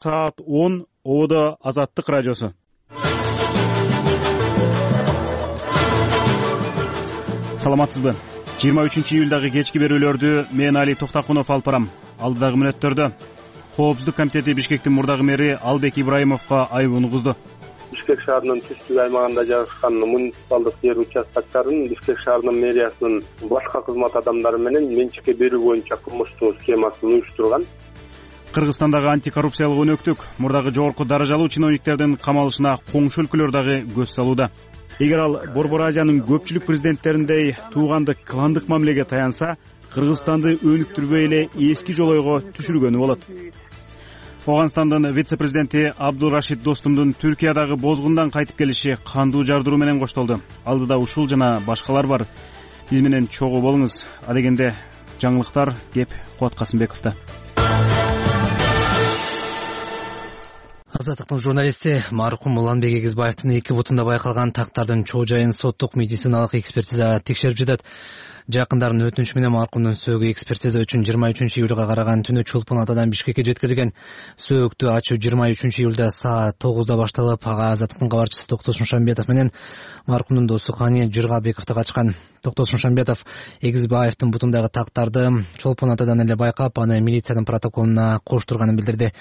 Саат 10 ООД Азаттык радиосу. Саламатсызбы? 23-июлдагы кечки берүүлөрдү мен Али Токтакунов алып барам. Алдыдагы мүнөттөрдө Коопсуздук комитети Бишкектин мурдагы мэри Албек Ибраимовго айыбын угузду. Бишкек шаарынын түштүк аймагында жайгашкан муниципалдык жер участкаларын Бишкек шаарынын мэриясынын башка кызмат адамдары менен менчикке берүү боюнча кылмыштуу схемасын уюштурган. Кыргызстандагы антикоррупциялык өнөктүк мурдагы жогорку даражалуу чиновниктердин камалышына коңшу өлкөлөр дагы көз салууда. Эгер ал Борбор Азиянын көпчүлүк президенттериндей туугандык кландык мамилеге таянса, Кыргызстанды өнүктүрбөй эле эски жолойго түшүргөнү болот. Ооганстандын вице-президенти Абдулрашид Достумдун Түркиядагы бозгундан кайтып келиши кандуу жардыруу менен коштолду. Алдыда ушул жана башкалар бар. Биз менен чогуу болуңуз. Адегенде жаңылыктар кеп Кубат Касымбековдо. Азаттыктын журналисти маркум Уланбек Эгизбаевдин эки бутунда байкалган тактардын чоо жайын соттук медициналык экспертиза текшерип жатат. Жакындардын өтүнүчү менен маркумдун сөөгү экспертиза үчүн 23-июлга караган түнү Чулпун Атадан Бишкекке жеткирилген. Сөөктү ачуу 23-июлда саат 9да башталып, ага Азаттыктын кабарчысы Токтос Шушанбетов менен маркумдун досу Кани Жыргабеков да катышкан. Токтос Шушанбетов Эгизбаевдин бутундагы тактарды Чулпун Атадан эле байкап, аны милициянын протоколуна коштурганын билдирди.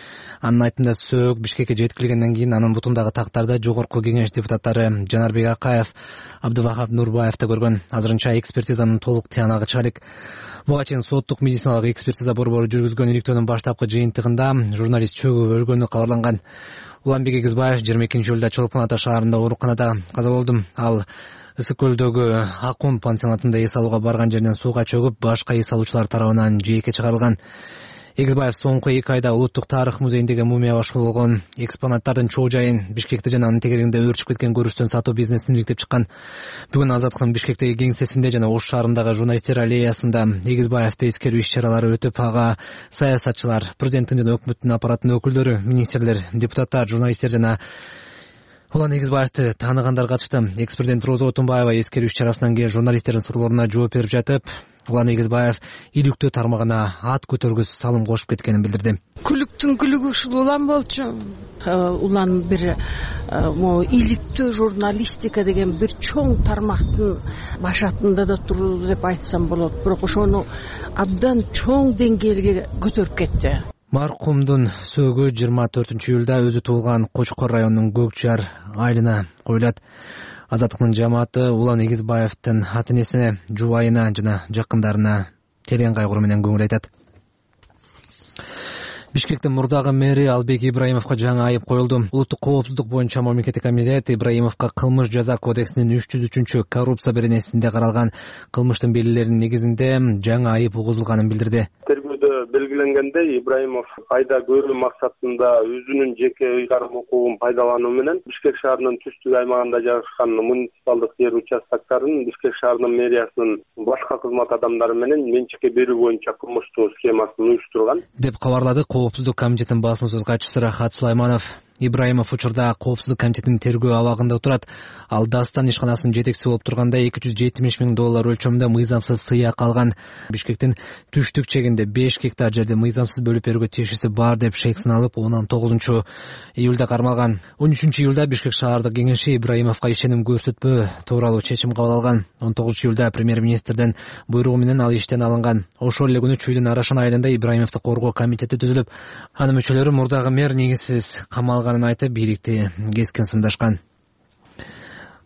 Анын айтымында сөök Бишкекке жеткирилгенден кийин анын бутундагы тактарды Жогорку Кеңеш депутаттары Жанарбек Акаев, Абдывахап Нурбаев да көргөн. Азырынча экспертизанын толук тыянагы чыга элек. Буга чейин соттук медициналык экспертиза борбору жүргүзгөн иликтөөнүн баштапкы жыйынтыгында журналист чөгүп өлгөнү кабарланган. Уланбек Эгизбаев 22-июлда Чолпон Ата шаарында ооруканада каза болду. Ал Ысык көлдөгү Акун пансионатында эс алууга барган жеринен сууга чөгүп, башка эс алуучулар тарабынан жээкке чыгарылган. Эгизбаев соңку 2 айда Улуттук тарых музейиндеги мумия башкы болгон экспонаттардын чоо жайын Бишкекте жана анын тегерегинде өөрчүп кеткен көрүстөн сатуу бизнесин иликтеп чыккан. Бүгүн Азаттыктын Бишкектеги кеңсесинде жана Ош шаарындагы журналисттер аллеясында Эгизбаевди эскерүү иш-чаралары өтүп, ага саясатчылар, президенттин жана өкмөттүн аппараттын өкүлдөрү, министрлер, депутаттар, журналисттер жана Улан Эгизбаевди тааныгандар катышты. Экс-президент Роза Отунбаева эскерүү иш-чарасынан кийин журналисттердин суроолоруна жооп берип жатып, Улан Эгизбаев иликтөө тармагына ат көтөргүс салым кошуп кеткенин билдирди. Күлүктүн күлүгү ушул Улан болчу. Улан бир иликтөө журналистика деген бир чоң тармактын башатында да турду деп айтсам болот. Бирок ошону абдан чоң деңгээлге көтөрүп кетти. Маркумдун сөөгү 24-июлда өзү туулган Кочкор районунун Көкжар айылына коюлат. Азаттыктын жамааты Улан Эгизбаевдин ата-энесине, жубайына жана жакындарына терең кайгыруу менен көңүл айтат. Бишкектин мурдагы мэри Албек Ибраимовго жаңы айып коюлду. Улуттук коопсуздук боюнча мамлекеттик комитет Ибраимовго кылмыш жаза кодексинин 303 коррупция беренесинде каралган кылмыштын белгилеринин негизинде жаңы айып угузулганын билдирди. Белгиленгендей, Ибраимов пайда көрүү максатында өзүнүн жеке ыйгарым укугун пайдалануу менен Бишкек шаарынын түштүк аймагында жайгашкан муниципалдык жер участкаларын Бишкек шаарынын мэриясынын башка кызмат адамдары менен менчикке берүү боюнча кылмыштуу схемасын уюштурган деп кабарлады Коопсуздук комитетинин басма сөз катчысы Рахат Сулайманов. Ибраимов учурда Коопсуздук комитетинин тергөө абагында турат. Ал Дастан ишканасынын жетекчиси болуп турганда $270 миң өлчөмүндө мыйзамсыз сыйак алган. Бишкектин түштүк чегинде 5 гектар жерди мыйзамсыз бөлүп берүүгө тиешеси бар деп шек сыналып, 19-июлда кармалган. 13-июлда Бишкек шаардык кеңеши Ибраимовго ишеним көрсөтпөө тууралуу чечим кабыл алган. 19-июлда премьер-министрдин буйругу менен ал иштен алынган. Ошол эле күнү Чүйдүн Арашан айылында Ибраимовду коргоо комитети түзүлүп, анын мүчөлөрү мурдагы мэр негизсиз камалганын айтып, бийликти кескен сындашкан.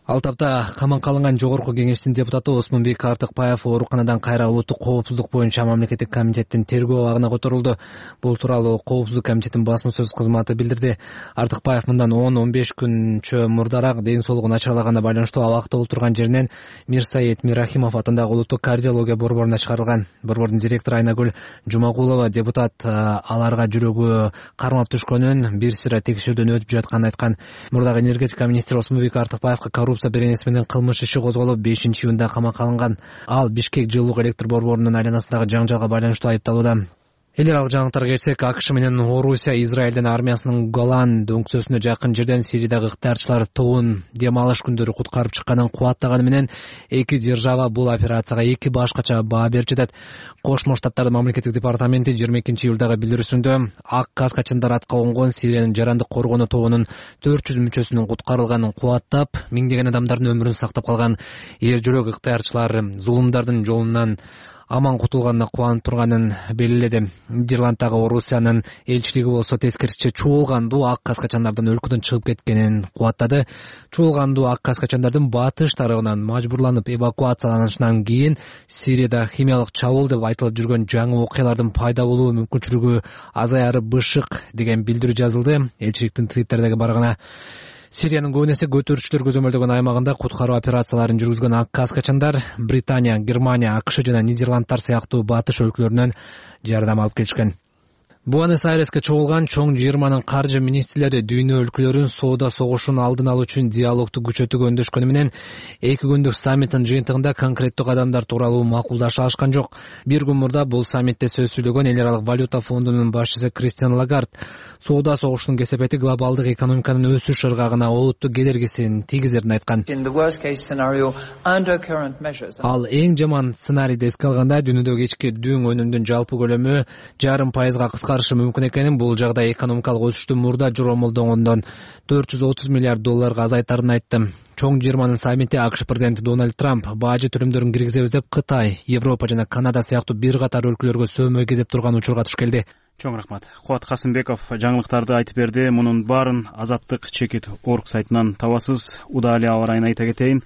Ал тапта камакка алынган Жогорку Кеңештин депутаты Осмонбек Артыкбаев ооруканадан кайра Улуттук коопсуздук боюнча мамлекеттик комитеттин тергөө абагына которулду. Бул тууралуу Коопсуздук комитетинин басма сөз кызматы билдирди. Артыкбаев мындан 10-15 күнчө мурдараак ден соолугу начарлаганына байланыштуу абакта отурган жеринен Мирсаид Мирахимов атындагы Улуттук кардиология борборуна чыгарылган. Борбордун директору Айнагүл Жумагулова депутат аларга жүрөгү кармап түшкөнүн, бир сыйра текшерүүдөн өтүп жатканын айткан. Мурдагы энергетика министри Осмонбек Артыкбаевга коррупция беренеси менен кылмыш иши козголуп 5-июнда камакка алынган. Ал Бишкек жылуулук электр борборунун айланасындагы жаңжалга байланыштуу айыпталууда. Элер ал жаңылыктарга келсек, АКШ менен Орусия Израилдин армиясынын Голан дөңксөсүнө жакын жерден Сириядагы ыктыярчылар тобун дем алыш күндөрү куткарып чыкканын кубаттаганы менен эки держава бул операцияга эки башкача баа берип жатат. Кошмо Штаттардын мамлекеттик департаменти 22-июлдагы билдирүүсүндө ак каскачандар атка конгон Сириянын жарандык коргонуу тобунун 400 мүчөсүнүн куткарылганын кубаттап, миңдеген адамдардын өмүрүн сактап калган эр жүрөк ыктыярчылар зулумдардын жолунан аман кутулганына кубанып турганын белгиледи. Нидерланддагы Орусиянын элчилиги болсо тескерисинче чуулгандуу ак каскачандардын өлкөдөн чыгып кеткенин кубаттады. Чуулгандуу ак каскачандардын батыш тарабынан мажбурланып эвакуацияланышынан кийин Сирияда химиялык чабуул деп айтылып жүргөн жаңы окуялардын пайда болуу мүмкүнчүлүгү азаяры бышык деген билдирүү жазылды. Элчиликтин твиттердеги барагына Сириянын көбүнесе көтөрүүчүлөр көзөмөлдөгөн аймагында куткаруу операцияларын жүргүзгөн ак каскачандар Британия, Германия, АКШ жана Нидерландтар сыяктуу батыш өлкөлөрүнөн жардам алып келишкен. Буэнос-Айреске чогулган чоң жыйырманын каржы министрлери дүйнө өлкөлөрүн соода согушун алдын алуу үчүн диалогду күчөтүүгө өндөшкөнү менен эки күндүк саммиттин жыйынтыгында конкреттүү кадамдар тууралуу макулдаша алышкан жок. Бир күн мурда бул саммитте сөз сүйлөгөн Эл аралык валюта фондунун башчысы Кристиан Лагард соода согушунун кесепети глобалдык экономиканын өсүш ыргагына олуттуу кедергисин тийгизерин айткан. Ал эң жаман сценарийди эске алганда дүйнөдөгү ички дүң өнүмдүн жалпы көлөмү 0,5% кыскарышы мүмкүн экенин, бул жагда экономикалык өсүштү мурда жоромолдогондон $430 миллиард азайтарын айтты. Чоң жыйырманын саммити АКШ президенти Дональд Трамп бажы төлөмдөрүн киргизебиз деп Кытай, Европа жана Канада сыяктуу бир катар өлкөлөргө сөмө кезеп турган учурга туш келди. Чоң рахмат. Кубат Касымбеков жаңылыктарды айтып берди. Мунун баарын Азаттык чекит орг сайтынан табасыз. Удали аба ырайын айта кетейин.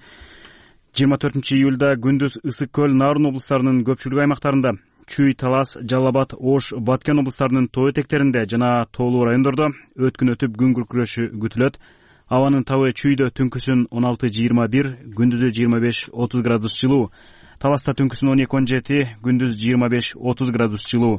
24-июлда күндүз Ысык көл, Нарын облустарынын көпчүлүк аймактарында, Чүй, Талас, Жалал Абад, Ош, Баткен облустарынын тоо этектеринде жана тоолуу райондордо өткүн өтүп күн күркүрөшү күтүлөт. Абанын табы Чүйдө түнкүсүн 16-21, күндүзү 25-30 градус жылуу. Таласта түнкүсүн 12-17, күндүз 25-30 градус жылуу.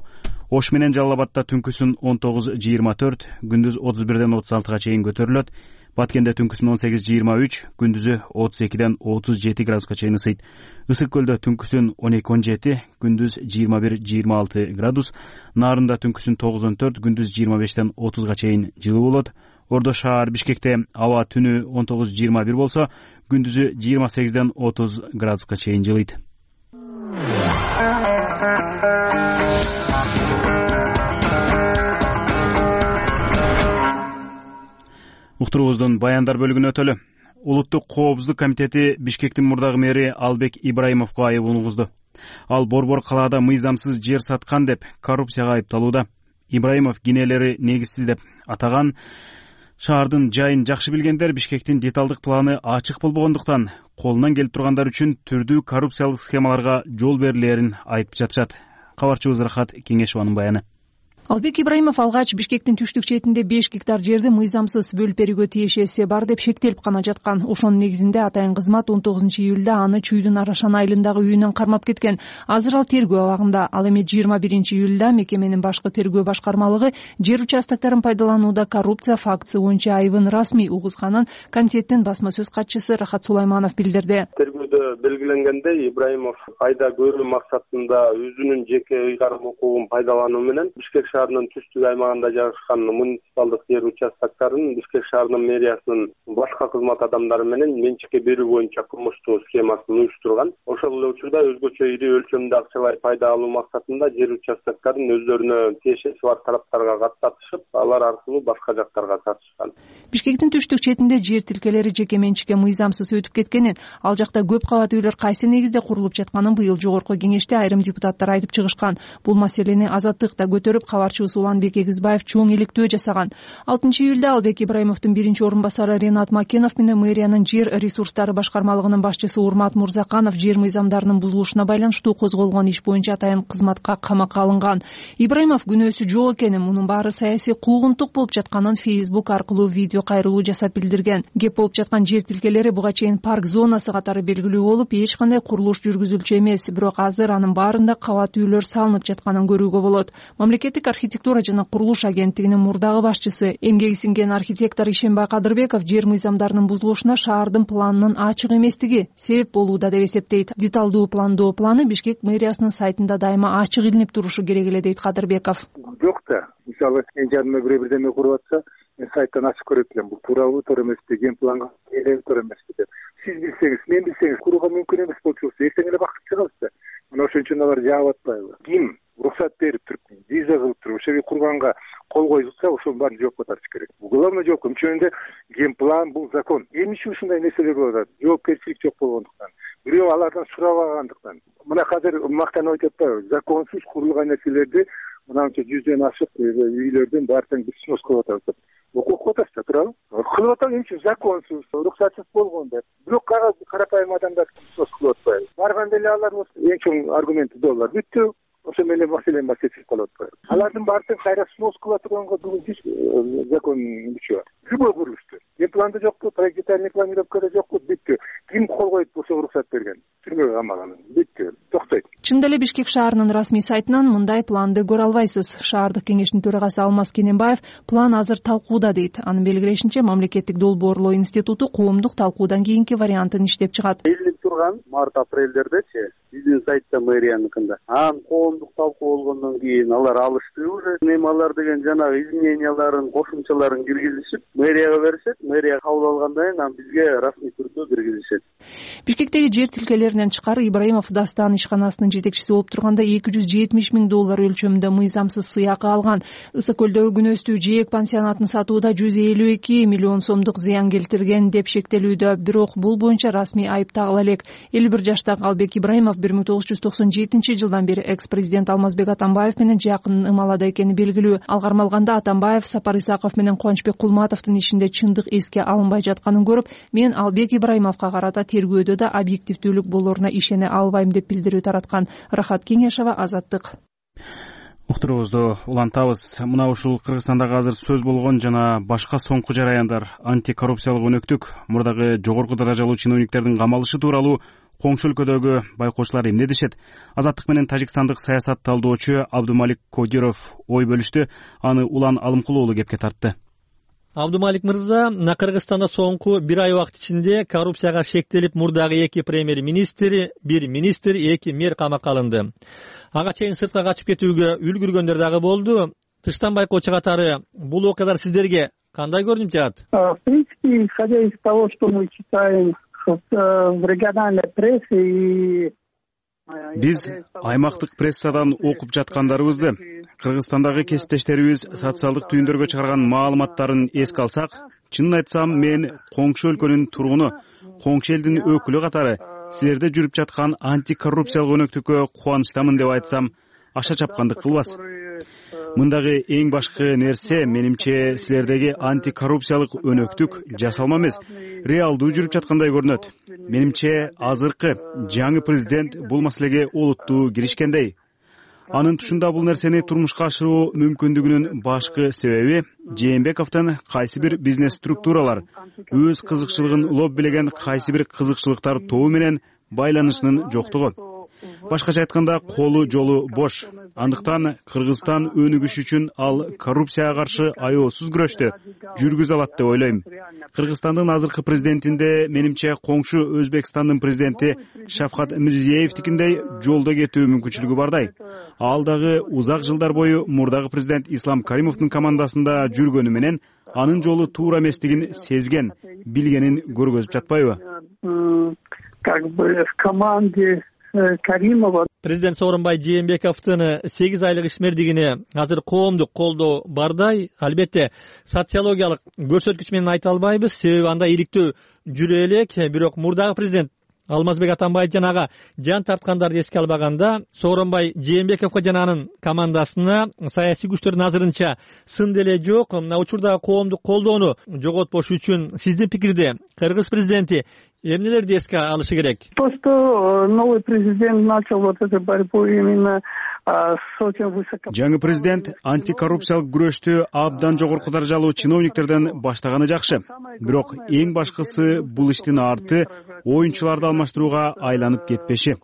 Ош менен Жалал Абадта түнкүсүн 19-24, күндүз 31-36 чейин көтөрүлөт. Баткенде түнкүсүн 18-23, күндүзү 32-37 градуска чейин ысыйт. Ысык көлдө түнкүсүн 12-17, күндүз 21-26 градус. Нарында түнкүсүн 9-14, күндүз 25-30 чейин жылуу болот. Ордо шаар Бишкекте аба түнү 19-21 болсо, күндүзү 28-30 градуска чейин жылыйт. Уктуруубуздун баяндар бөлүгүнө өтөлү. Улуттук коопсуздук комитети Бишкектин мурдагы мэри Албек Ибраимовго айыбын угузду. Ал борбор калаада мыйзамсыз жер саткан деп коррупцияга айыпталууда. Ибраимов кинелери негизсиз деп атаган. Шаардын жайын жакшы билгендер Бишкектин деталдык планы ачык болбогондуктан колунан келип тургандар үчүн түрдүү коррупциялык схемаларга жол берилерин айтып жатышат. Кабарчыбыз Рахат Кеңешованын баяны. Албек Ибраимов алгач Бишкектин түштүк четинде 5 гектар жерди мыйзамсыз бөлүп берүүгө тиешеси бар деп шектелип гана жаткан. Ошонун негизинде атайын кызмат 19-июлда аны Чүйдүн Арашан айылындагы үйүнөн кармап кеткен. Азыр ал тергөө абагында. Ал эми 21-июлда мекеменин башкы тергөө башкармалыгы жер участокторун пайдаланууда коррупция фактысы боюнча айыбын расмий угузганын комитеттин басма сөз катчысы Рахат Сулайманов билдирди. Тергөөдө белгиленгендей, Ибраимов айда көрүү максатында өзүнүн жеке ыйгарым укугун пайдалануу менен Бишкек шаарынын түштүк аймагында жайгашкан муниципалдык жер участокторун Бишкек шаарынын мэриясынын башка кызмат адамдары менен менчикке берүү боюнча кылмыштуу схемасын уюштурган. Ошол эле учурда өзгөчө ири өлчөмдө акчалай пайда алуу максатында жер участокторун өздөрүнө тиешеси бар тараптарга каттатышып, алар аркылуу башка жактарга сатышкан. Бишкектин түштүк четинде жер тилкелери жеке менчикке мыйзамсыз өтүп кеткенин, ал жакта көп кабат үйлөр кайсы негизде курулуп жатканын быйыл жогорку кеңеште айрым депутаттар айтып чыгышкан. Бул маселени Азаттык да көтөрүп, кабарчыбыз Уланбек Эгизбаев чоң иликтөө жасаган. 6-июлда Албек Ибраимовдун биринчи орун басары Ренат Макенов менен мэриянын жер ресурстары башкармалыгынын башчысы Урмат Мурзаканов жер мыйзамдарынын бузулушуна байланыштуу козголгон иш боюнча атайын кызматка камакка алынган. Ибраимов күнөөсү жок экенин, мунун баары саясий куугунтук болуп жатканын Facebook аркылуу видео кайрылуу жасап билдирген. Кеп болуп жаткан жер тилкелери буга чейин парк зонасы катары белгилүү болуп, эч кандай курулуш жүргүзүлчү эмес, бирок азыр анын баарында кабат үйлөр салынып жатканын көрүүгө болот. Мамлекеттик архитектура жана курулуш агенттигинин мурдагы башчысы, эмгеги сиңген архитектор Ишенбай Кадырбеков жер мыйзамдарынын бузулушуна шаардын планынын ачык эместиги себеп болууда деп эсептейт. Деталдуу пландоо планы Бишкек мэриясынын сайтында дайыма ачык илинип турушу керек эле дейт Кадырбеков. Жок да, мисалы мен жаныма бирдеме куруп атса, мен сайттан ачып көрөт элем. Бул туурабы, туура эмеспи, ген планга туура эмеспи деп. Сиз билсеңиз, мен билсеңиз курууга мүмкүн эмес болчу болсо, эртең эле бакыт чыгабыз да. Мына ошон үчүн алар жаап атпайбы? Ким уруксат берип туруп, виза кылып туруп, ошо курганга кол коюп атса, ошонун баарын жоопко тартыш керек. Главный жооп кимчөндө ген план бул закон. Эмне ушундай нерселер болуп атат? Жоопкерчилик жок болгондуктан. Бирөө алардан сурабагандыктан. Мына азыр мактанып айтып атпайбы? Законсуз курулган нерселерди мынанча 100дөн ашык үйлөрдүн баарын биз снос кылып атабыз. Окуп атабыз да, туурабы? Кылып атабыз, эмне законсуз, уруксатсыз болгон деп. Бирок карапайым адамдар снос кылып атпайбы? Барганда эле алар эң чоң аргументи доллар. Бүттү. Ошо менен маселе чечилип калат. Алардын баарын кайра снос кылып турганга бүгүн закон күчү бар. Любой курулушту. Планда жокпу, проектный планировкада жокпу, бүттү. Ким кол коюп болсо уруксат берген? Түрмөгө камаган. Бүттү. Токтойт. Чындап эле Бишкек шаарынын расмий сайтынан мындай планды көрө албайсыз. Шаардык кеңештин төрагасы Алмаз Кененбаев план азыр талкууда дейт. Анын белгилешинче, мамлекеттик долбоорлоо институту коомдук талкуудан кийинки вариантын иштеп чыгат. Белгилеп турган март-апрелдердечи биздин сайтта мэрияныкында. Анан коомдук талкуу болгондон кийин алар алышты уже. Немалар деген жанагы измененияларын, кошумчаларын киргизишип, мэрияга беришет. Мэрия кабыл алгандан кийин анан бизге расмий түрдө киргизишет. Бишкектеги жер тилкелеринен тышкары Ибраимов Дастан ишканасынын жетекчиси болуп турганда $270,000 өлчөмүндө мыйзамсыз сыйакы алган. Ысык көлдөгү күнөстүү жээк пансионатын сатууда $152 миллион сомдук зыян келтирген деп шектелүүдө. Бирок бул боюнча расмий айып тагыла элек. 51 жаштагы Албек Ибраимов 1997 жылдан бери экс-президент Алмазбек Атамбаев менен жакын ымалада экени белгилүү. Ал кармалганда Атамбаев Сапар Исаков менен Кубанычбек Кулматовдун ишинде чындык эске алынбай жатканын көрүп, мен Албек Ибраимовго карата тергөөдө да объективдүүлүк болоруна ишене албайм деп билдирүү тараткан. Рахат Кеңешова, Азаттык. Уктуруубузду улантабыз. Мына ушул Кыргызстандагы азыр сөз болгон жана башка соңку жараяндар антикоррупциялык өнөктүк, мурдагы жогорку даражалуу чиновниктердин камалышы тууралуу коңшу өлкөдөгү байкоочулар эмне дешет? Азаттык менен тажикстандык саясат талдоочу Абдумалик Кодиров ой бөлүштү. Аны Улан Алымкулуу уулу кепке тартты. Абдумалик мырза, Кыргызстанда соңку бир ай убакыт ичинде коррупцияга шектелип мурдагы 2 премьер-министр, 1 министр, 2 мэр камакка алынды. Ага чейин сыртка качып кетүүгө үлгүргөндөр дагы болду. Тыштан байкоочу катары бул окуялар сиздерге кандай көрүнүп жатат? В принципе, исходя из того, что мы читаем в региональной прессе и Биз аймактык прессадан окуп жаткандарыбызды, Кыргызстандагы кесиптештерибиз социалдык түйүндөргө чыгарган маалыматтарын эске алсак, чынын айтсам, мен коңшу өлкөнүн тургуну, коңшу элдин өкүлү катары силерде жүрүп жаткан антикоррупциялык өнөктүккө кубанычтамын деп айтсам, аша чапкандык кылбас. Мындагы эң башкы нерсе, менимче, силердеги антикоррупциялык өнөктүк жасалма эмес, реалдуу жүрүп жаткандай көрүнөт. Менимче, азыркы жаңы президент бул маселеге олуттуу киришкендей. Анын тушунда бул нерсени турмушка ашыруу мүмкүндүгүнүн башкы себеби Жээнбековдун кайсы бир бизнес структуралар өз кызыкчылыгын лоббилеген кайсы бир кызыкчылыктар тобу менен байланышынын жоктугу. Башкача айтканда, колу жолу бош. Андыктан Кыргызстан өнүгүш үчүн ал коррупцияга каршы аеосуз күрөштү жүргүзө алат деп ойлойм. Кыргызстандын азыркы президентинде, менимче, коңшу Өзбекстандын президенти Шавкат Мирзиеевдикиндей жолдо кетүү мүмкүнчүлүгү бардай. Ал дагы узак жылдар бою мурдагы президент Ислам Каримовдун командасында жүргөнү менен анын жолу туура эместигин сезген, билгенин көргөзүп жатпайбы? Как бы в команде Каримова. Президент Сооронбай Жээнбековдун 8 айлык ишмердигине азыр коомдук колдоо бардай. Албетте, социологиялык көрсөткүч менен айта албайбыз, себеби анда иликтөө жүрө элек. Бирок мурдагы президент Алмазбек Атамбаев жанага жан тарткандарды эске албаганда, Сооронбай Жээнбековго жана анын командасына саясий күчтөрдүн азырынча сын деле жок. Мына учурдагы коомдук колдоону жоготпош үчүн сиздин пикирде Кыргыз президенти эмнелерди эске алышы керек? То, что новый президент начал вот эту борьбу именно жаңы президент антикоррупциялык күрөштү абдан жогорку даражалуу чиновниктерден баштаганы жакшы. Бирок эң башкысы бул иштин арты оюнчуларды алмаштырууга айланып кетпеши.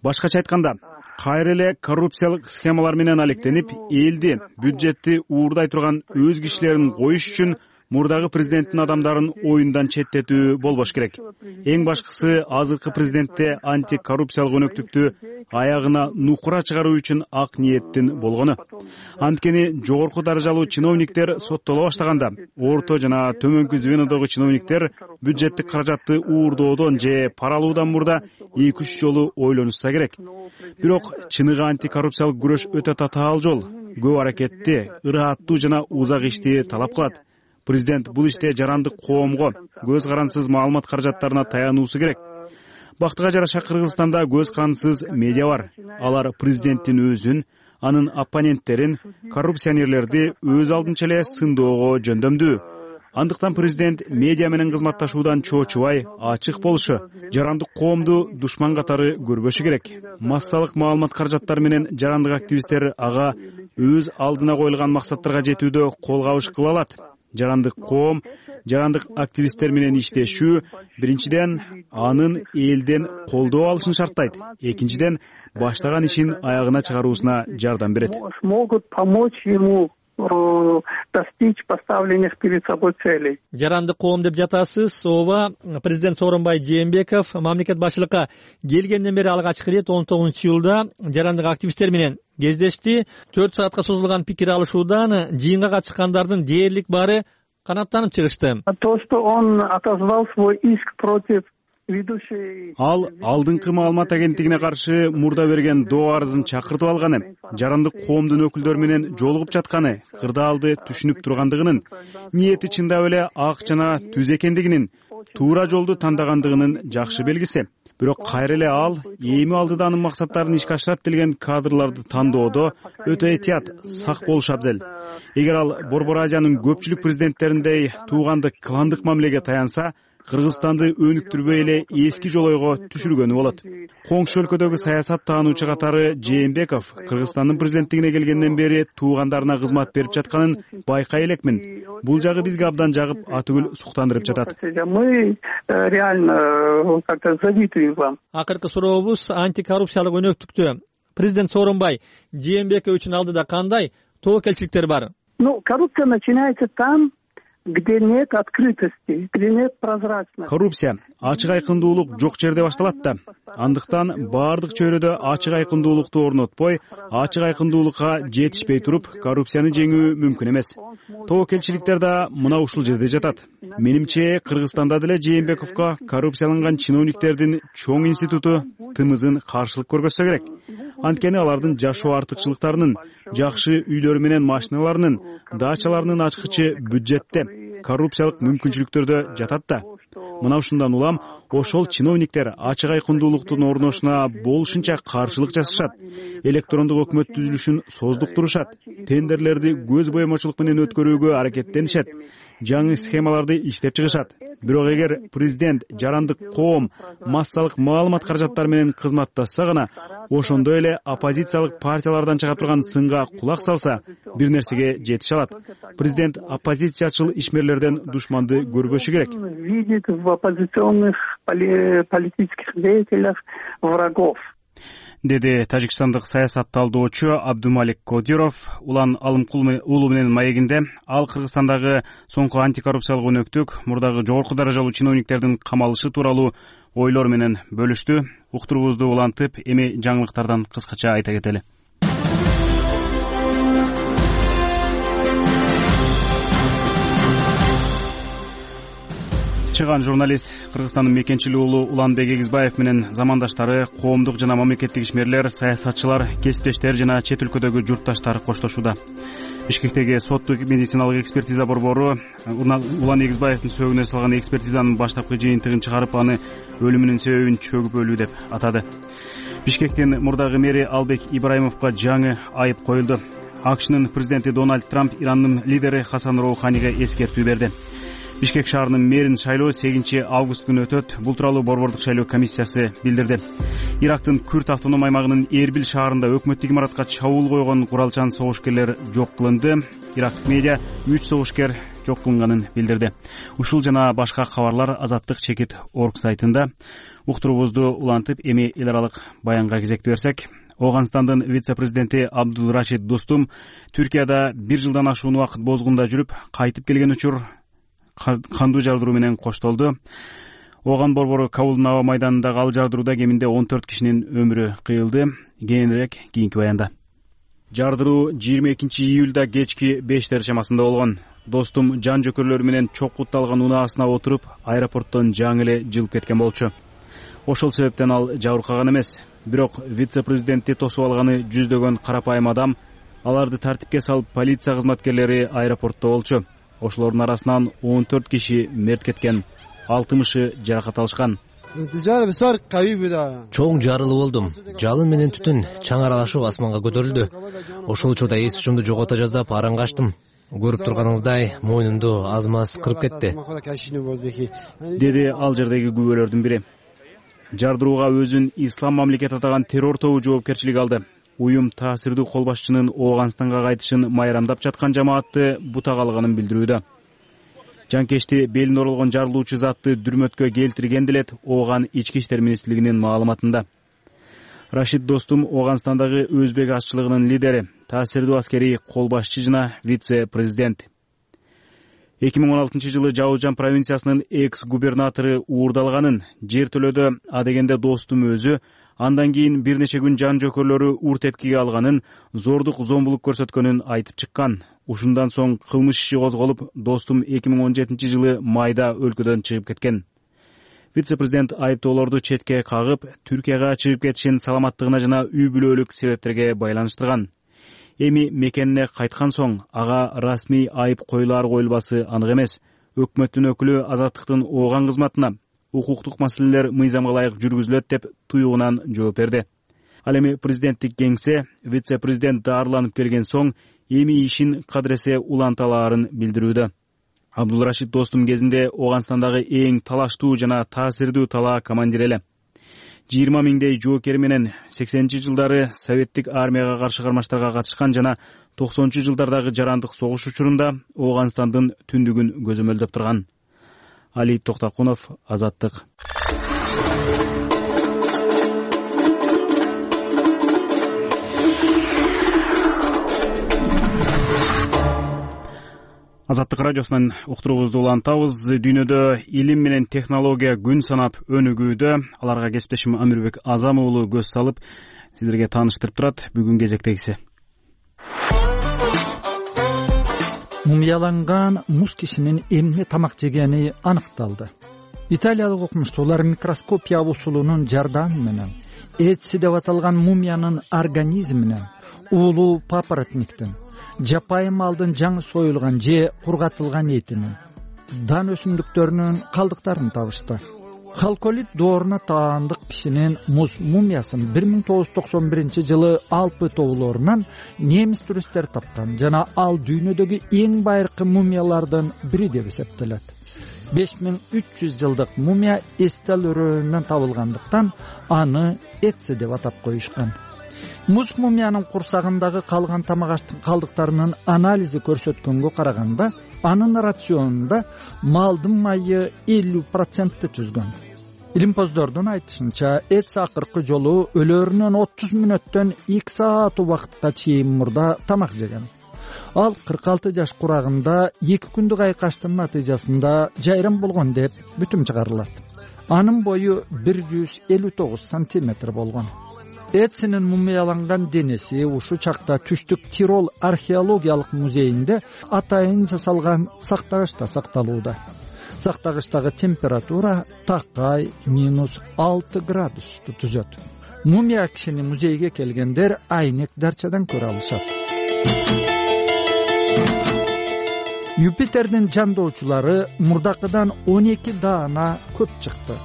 Башкача айтканда, кайра эле коррупциялык схемалар менен алектенип, элди, бюджетти уурдай турган өз кишилерин коюш үчүн мурдагы президенттин адамдарын оюндан четтетүү болбош керек. Эң башкысы азыркы президентте антикоррупциялык өнөктүктү аягына нукура чыгаруу үчүн ак ниеттин болгону. Анткени жогорку даражалуу чиновниктер соттоло баштаганда, орто жана төмөнкү звенодогу чиновниктер бюджеттик каражатты уурдоодон же пара алуудан мурда 2-3 жолу ойлонушса керек. Бирок чыныгы антикоррупциялык күрөш өтө татаал жол, көп аракетти, ырааттуу жана узак ишти талап кылат. Президент бул иште жарандык коомго, көз карансыз маалымат каражаттарына таянуусу керек. Бактыга жараша Кыргызстанда көз карансыз медиа бар. Алар президенттин өзүн, анын оппоненттерин, коррупционерлерди өз алдынча эле сындоого жөндөмдүү. Андыктан президент медиа менен кызматташуудан чоочубай, ачык болушу, жарандык коомду душман катары көрбөшү керек. Массалык маалымат каражаттары менен жарандык активисттер ага өз алдына коюлган максаттарга жетүүдө кол кабыш кыла алат. Жарандык коом, жарандык активисттер менен иштешүү биринчиден анын элден колдоо алышын шарттайт. Экинчиден баштаган ишин аягына чыгаруусуна жардам берет. Могут помочь ему достичь поставленных перед собой целей. Жарандык коом деп жатасыз. Ооба, президент Сооронбай Жээнбеков мамлекет башчылыкка келгенден бери алгачкы ирет 19-жылда жарандык активисттер менен кездешти. 4 саатка созулган пикир алышуудан жыйынга катышкандардын дээрлик баары канаттанып чыгышты. То, что он отозвал свой иск против Ал алдыңкы маалымат агенттигине каршы мурда берген доо арызын чакыртып алганы, жарандык коомдун өкүлдөрү менен жолугуп жатканы, кырдаалды түшүнүп тургандыгынын, ниети чындап эле ак жана түз экендигинин, туура жолду тандагандыгынын жакшы белгиси. Бирок кайра эле ал эми алдыда анын максаттарын ишке ашырат делген кадрларды тандоодо өтө этият, сак болуш абзел. Эгер ал Борбор Азиянын көпчүлүк президенттериндей туугандык кландык мамилеге таянса, Кыргызстанды өнүктүрбөй эле эски жолойго түшүргөнү болот. Коңшу өлкөдөгү саясат таануучу катары Жээнбеков Кыргызстандын президенттигине келгенден бери туугандарына кызмат берип жатканын байкай элекмин. Бул жагы бизге абдан жагып, атүгүл суктандырып жатат. Мы реально как-то завидуем вам. Акыркы сурообуз антикоррупциялык өнөктүктө президент Сооронбай Жээнбеков үчүн алдыда кандай тобокелчиликтер бар? Коррупция начинается там, где нет открытости, где нет прозрачности. Коррупция ачык айкындуулук жок жерде башталат да. Андыктан баардык чөйрөдө ачык айкындуулукту орнотпой, ачык айкындуулукка жетишпей туруп, коррупцияны жеңүү мүмкүн эмес. Тобокелчиликтер да мына ушул жерде жатат. Менимче, Кыргызстанда деле Жээнбековго коррупцияланган чиновниктердин чоң институту тымызын каршылык көргөзсө керек. Анткени алардын жашоо артыкчылыктарынын, жакшы үйлөрү менен машиналарынын, дачаларынын ачкычы бюджетте, коррупциялык мүмкүнчүлүктөрдө жатат да. Мына ушундан улам ошол чиновниктер ачык айкындуулуктун орношуна болушунча каршылык жасашат, электрондук өкмөт түзүлүшүн создуктурушат, тендерлерди көз боемочулук менен өткөрүүгө аракеттенишет, жаңы схемаларды иштеп чыгышат. Бирок эгер президент жарандык коом массалык маалымат каражаттары менен кызматташса гана, ошондой эле оппозициялык партиялардан чыга турган сынга кулак салса, бир нерсеге жетише алат. Президент оппозициячыл ишмерлерден душманды көрбөшү керек. Видит в оппозиционных политических деятелях врагов. Деди тажикстандык саясат талдоочу Абдумалик Кодиров Улан Алымкул уулу менен маегинде. Ал Кыргызстандагы соңку антикоррупциялык өнөктүк, мурдагы жогорку даражалуу чиновниктердин камалышы тууралуу ойлор менен бөлүштү. Уктуруубузду улантып, эми жаңылыктардан кыскача айта кетели. Чыган журналист Кыргызстандын мекенчил уулу Уланбек Эгизбаев менен замандаштары, коомдук жана мамлекеттик ишмерлер, саясатчылар, кесиптештер жана чет өлкөдөгү журтташтар коштошууда. Бишкектеги соттук медициналык экспертиза борбору Улан Эгизбаевдин сөөгүнө салган экспертизанын баштапкы жыйынтыгын чыгарып, аны өлүмүнүн себебин чөгүп өлүү деп атады. Бишкектин мурдагы мэри Албек Ибраимовго жаңы айып коюлду. АКШнын президенти Дональд Трамп Ирандын лидери Хасан Роуханиге эскертүү берди. Бишкек шаарынын мэрин шайлоо 8-август күнү өтөт. Бул тууралуу Борбордук шайлоо комиссиясы билдирди. Ирактын Күрт автоном аймагынын Эрбил шаарында өкмөттүк имаратка чабуул койгон куралчан согушкерлер жок кылынды. Ирактык медиа 3 согушкер жок кылынганын билдирди. Ушул жана башка кабарлар Азаттык.org сайтында. Уктуруубузду улантып, эми эл аралык баянга кезекти берсек, Ооганстандын вице-президенти Абдулрашид Достум Түркияда 1 жылдан ашуун убакыт бозгунда жүрүп, кайтып келген учур кандуу жардыруу менен коштолду. Ооган борбору Кабулдун аба майданындагы ал жардырууда кеминде 14 кишинин өмүрү кыйылды. Кийинирээк кийинки баянда. Жардыруу 22 июлда кечки 5 чамасында болгон. Достум жан жөкөрлөрү менен чокутталган унаасына отуруп, аэропорттон жаңы эле жылып кеткен болчу. Ошол себептен ал жабыркаган эмес. Бирок вице-президентти тосуп алганы жүздөгөн карапайым адам. Аларды тартипке салып, полиция кызматкерлери аэропортто болчу. Ошолордун арасынан 14 киши мерт кеткен, 60-ы жаракат алышкан. Чоң жарылуу болдум. Жалын менен түтүн чаң аралашып асманга көтөрүлдү. Ошол учурда эс учумду жогото жаздап аран качтым. Көрүп турганыңыздай, мойнумду аз-маз кырып кетти, деди ал жердеги күбөлөрдүн бири. Жардырууга өзүн Ислам мамлекет атаган террор тобу жоопкерчилик алды. Уюм таасирдүү кол башчынын Ооганстанга кайтышын майрамдап жаткан жамаатты бутак алганын билдирүүдө. Жанкечти белине оролгон жарылуучу затты дүрмөткө келтирген делет Ооган ички иштер министрлигинин маалыматында. Рашид Достум Ооганстандагы өзбек азчылыгынын лидери, таасирдүү аскерий кол башчы жана вице-президент. 2016 жылы Жаужан провинциясынын экс-губернатору уурдалганын, жер төлөөдө адегенде Достум өзү, андан кийин бир нече күн жан жөкөрлөрү ур тепкиге алганын, зордук зомбулук көрсөткөнүн айтып чыккан. Ушундан соң кылмыш иши козголуп, Достум 2017 жылы майда өлкөдөн чыгып кеткен. Вице-президент айыптоолорду четке кагып, Түркияга чыгып кетишин саламаттыгына жана үй бүлөлүк себептерге байланыштырган. Эми мекенине кайткан соң ага расмий айып коюлар-коюлбасы анык эмес. Өкмөттүн өкүлү Азаттыктын Ооган кызматына укуктук маселелер мыйзамга ылайык жүргүзүлөт деп туюгунан жооп берди. Ал эми президенттик кеңсе вице-президент дарыланып келген соң эми ишин кадыресе уланталаарын билдирүүдө. Абдулрашид Достум кезинде Ооганстандагы эң талаштуу жана таасирдүү талаа командири эле. 20 миңдей жоокер менен 80-жылдары советтик армияга каршы кармаштарга катышкан жана 90-жылдардагы жарандык согуш учурунда Ооганстандын түндүгүн көзөмөлдөп турган. Али Токтакунов, Азаттык. Азаттык радиосунан уктуруубузду улантабыз. Дүйнөдө илим менен технология күн санап өнүгүүдө. Аларга кесиптешим Амирбек Азам уулу көз салып, сиздерге тааныштырып турат. Бүгүн кезектегиси. Мумияланган муз кишинин эмне тамак жегени аныкталды. Италиялык окумуштуулар микроскопия усулунун жардамы менен этси деп аталган мумиянын организминен уулуу папоротниктин, жапайы малдын жаңы союлган же кургатылган этинин, дан өсүмдүктөрүнүн калдыктарын табышты. Халколит дооруна таандык кишинин муз мумиясын 1991 жылы Алпы тоолорунан немис туристтер тапкан жана ал дүйнөдөгү эң байыркы мумиялардын бири деп эсептелет. 5300 жылдык мумия эстел өрөөнүнөн табылгандыктан аны Этси деп атап коюшкан. Муз мумиянын курсагындагы калган тамак аштын калдыктарынын анализи көрсөткөнгө караганда, анын рационунда малдын майы 50% түзгөн. Илимпоздордун айтышынча, Этси акыркы жолу өлөрүнөн 30 мүнөттөн 2 саат убакытка чейин мурда тамак жеген. Ал 46 жаш курагында 2 күндүк айкаштын натыйжасында жайрам болгон деп бүтүм чыгарылат. Анын бою 159 сантиметр болгон. Этсинин мумияланган денеси ушу чакта Түштүк Тирол археологиялык музейинде атайын жасалган сактагычта сакталууда. Сактагычтагы температура такай -6 градусту түзөт. Мумия кишини музейге келгендер айнек дарчадан көрө алышат. Юпитердин жандоочулары мурдакыдан 12 даана көп чыкты.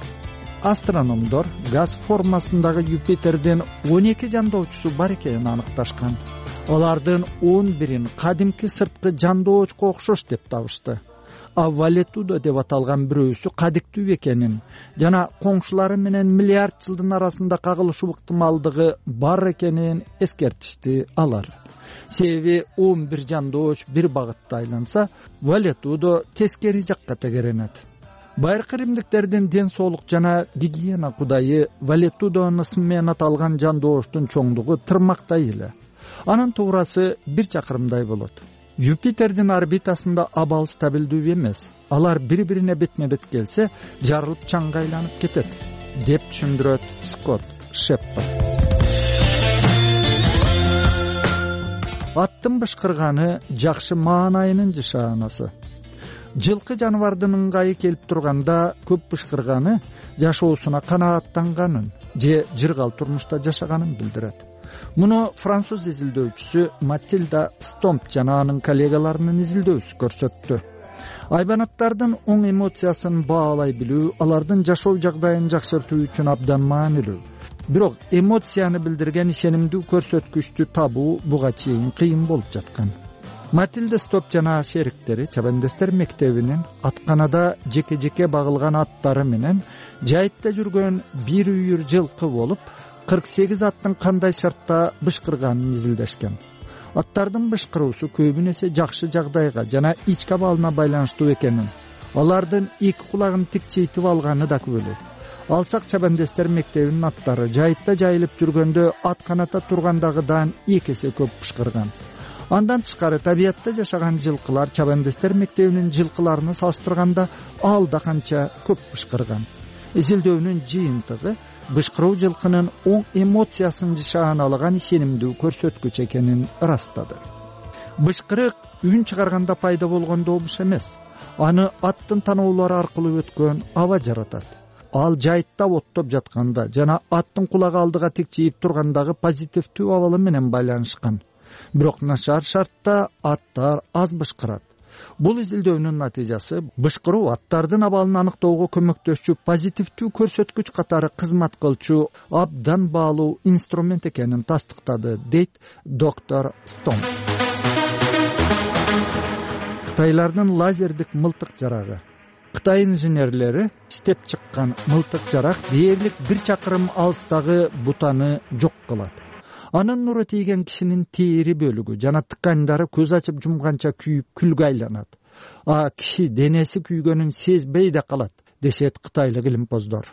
Астрономдор газ формасындагы Юпитердин 12 жандоочусу бар экенин аныкташкан. Алардын 11-ин кадимки сырткы жандоочко окшош деп табышты. Валетудо деп аталган бирөөсү кадиктүү экенин жана коңшулары менен миллиард жылдын арасында кагылышуу ыктымалдыгы бар экенин эскертишти алар. Себеби 11 жандооч бир багытта айланса, Валетудо тескери жакка тегеренет. Байыркы римдиктердин ден соолук жана гигиена кудайы Валетудонун ысмы менен аталган жандооштун чоңдугу тырмактай эле. Анын туурасы 1 чакырымдай болот. Юпитердин орбитасында абал стабилдүү эмес. Алар бири-бирине бетме-бет келсе, жарылып чаңга айланып кетет, деп түшүндүрөт Скотт Шепард. Аттын бышкырганы жакшы маанайынын жышаанасы. Жылкы жаныбардын ыңгайы келип турганда көп бышкырганы жашоосуна канааттанганын же жыргал турмушта жашаганын билдирет. Муну француз изилдөөчүсү Матильда Стомп жана анын коллегаларынын изилдөөсү көрсөттү. Айбанаттардын оң эмоциясын баалай билүү алардын жашоо жагдайын жакшыртуу үчүн абдан маанилүү. Бирок эмоцияны билдирген ишенимдүү көрсөткүчтү табуу буга чейин кыйын болуп жаткан. Матильда Стоп жана шериктери чабандестер мектебинин атканада жеке-жеке багылган аттары менен жайытта жүргөн бир үйүр жылкы болуп 48 аттын кандай шартта бышкырганын изилдешкен. Аттардын бышкыруусу көбүнесе жакшы жагдайга жана ички абалына байланыштуу экенин, алардын эки кулагын тикчейтип алганы да күбөлөйт. Алсак чабандестер мектебинин аттары жайытта жайылып жүргөндө атканата тургандагыдан 2 эсе көп бышкырган. Андан тышкары табиятта жашаган жылкылар чабандестер мектебинин жылкыларына салыштырганда алда канча көп бышкырган. Изилдөөнүн жыйынтыгы бышкыруу жылкынын оң эмоциясын жышааналаган ишенимдүү көрсөткүч экенин ырастады. Бышкырык үн чыгарганда пайда болгон добуш эмес. Аны аттын таноолору аркылуу өткөн аба жаратат. Ал жайытта оттоп жатканда жана аттын кулагы алдыга тикчейип тургандагы позитивдүү абалы менен байланышкан. Бирок начар шартта аттар аз бышкырат. Бул изилдөөнүн натыйжасы бышкыруу аттардын абалын аныктоого көмөктөшчү позитивдүү көрсөткүч катары кызмат кылчу абдан баалуу инструмент экенин тастыктады, дейт доктор Стом. Кытайлардын лазердик мылтык жарагы. Кытай инженерлери иштеп чыккан мылтык жарак дээрлик 1 чакырым алыстагы бутаны жок кылат. Анын нуру тийген кишинин тери бөлүгү жана ткандары көз ачып жумганча күйүп күлгө айланат. Киши денеси күйгөнүн сезбей да калат, дешет кытайлык илимпоздор.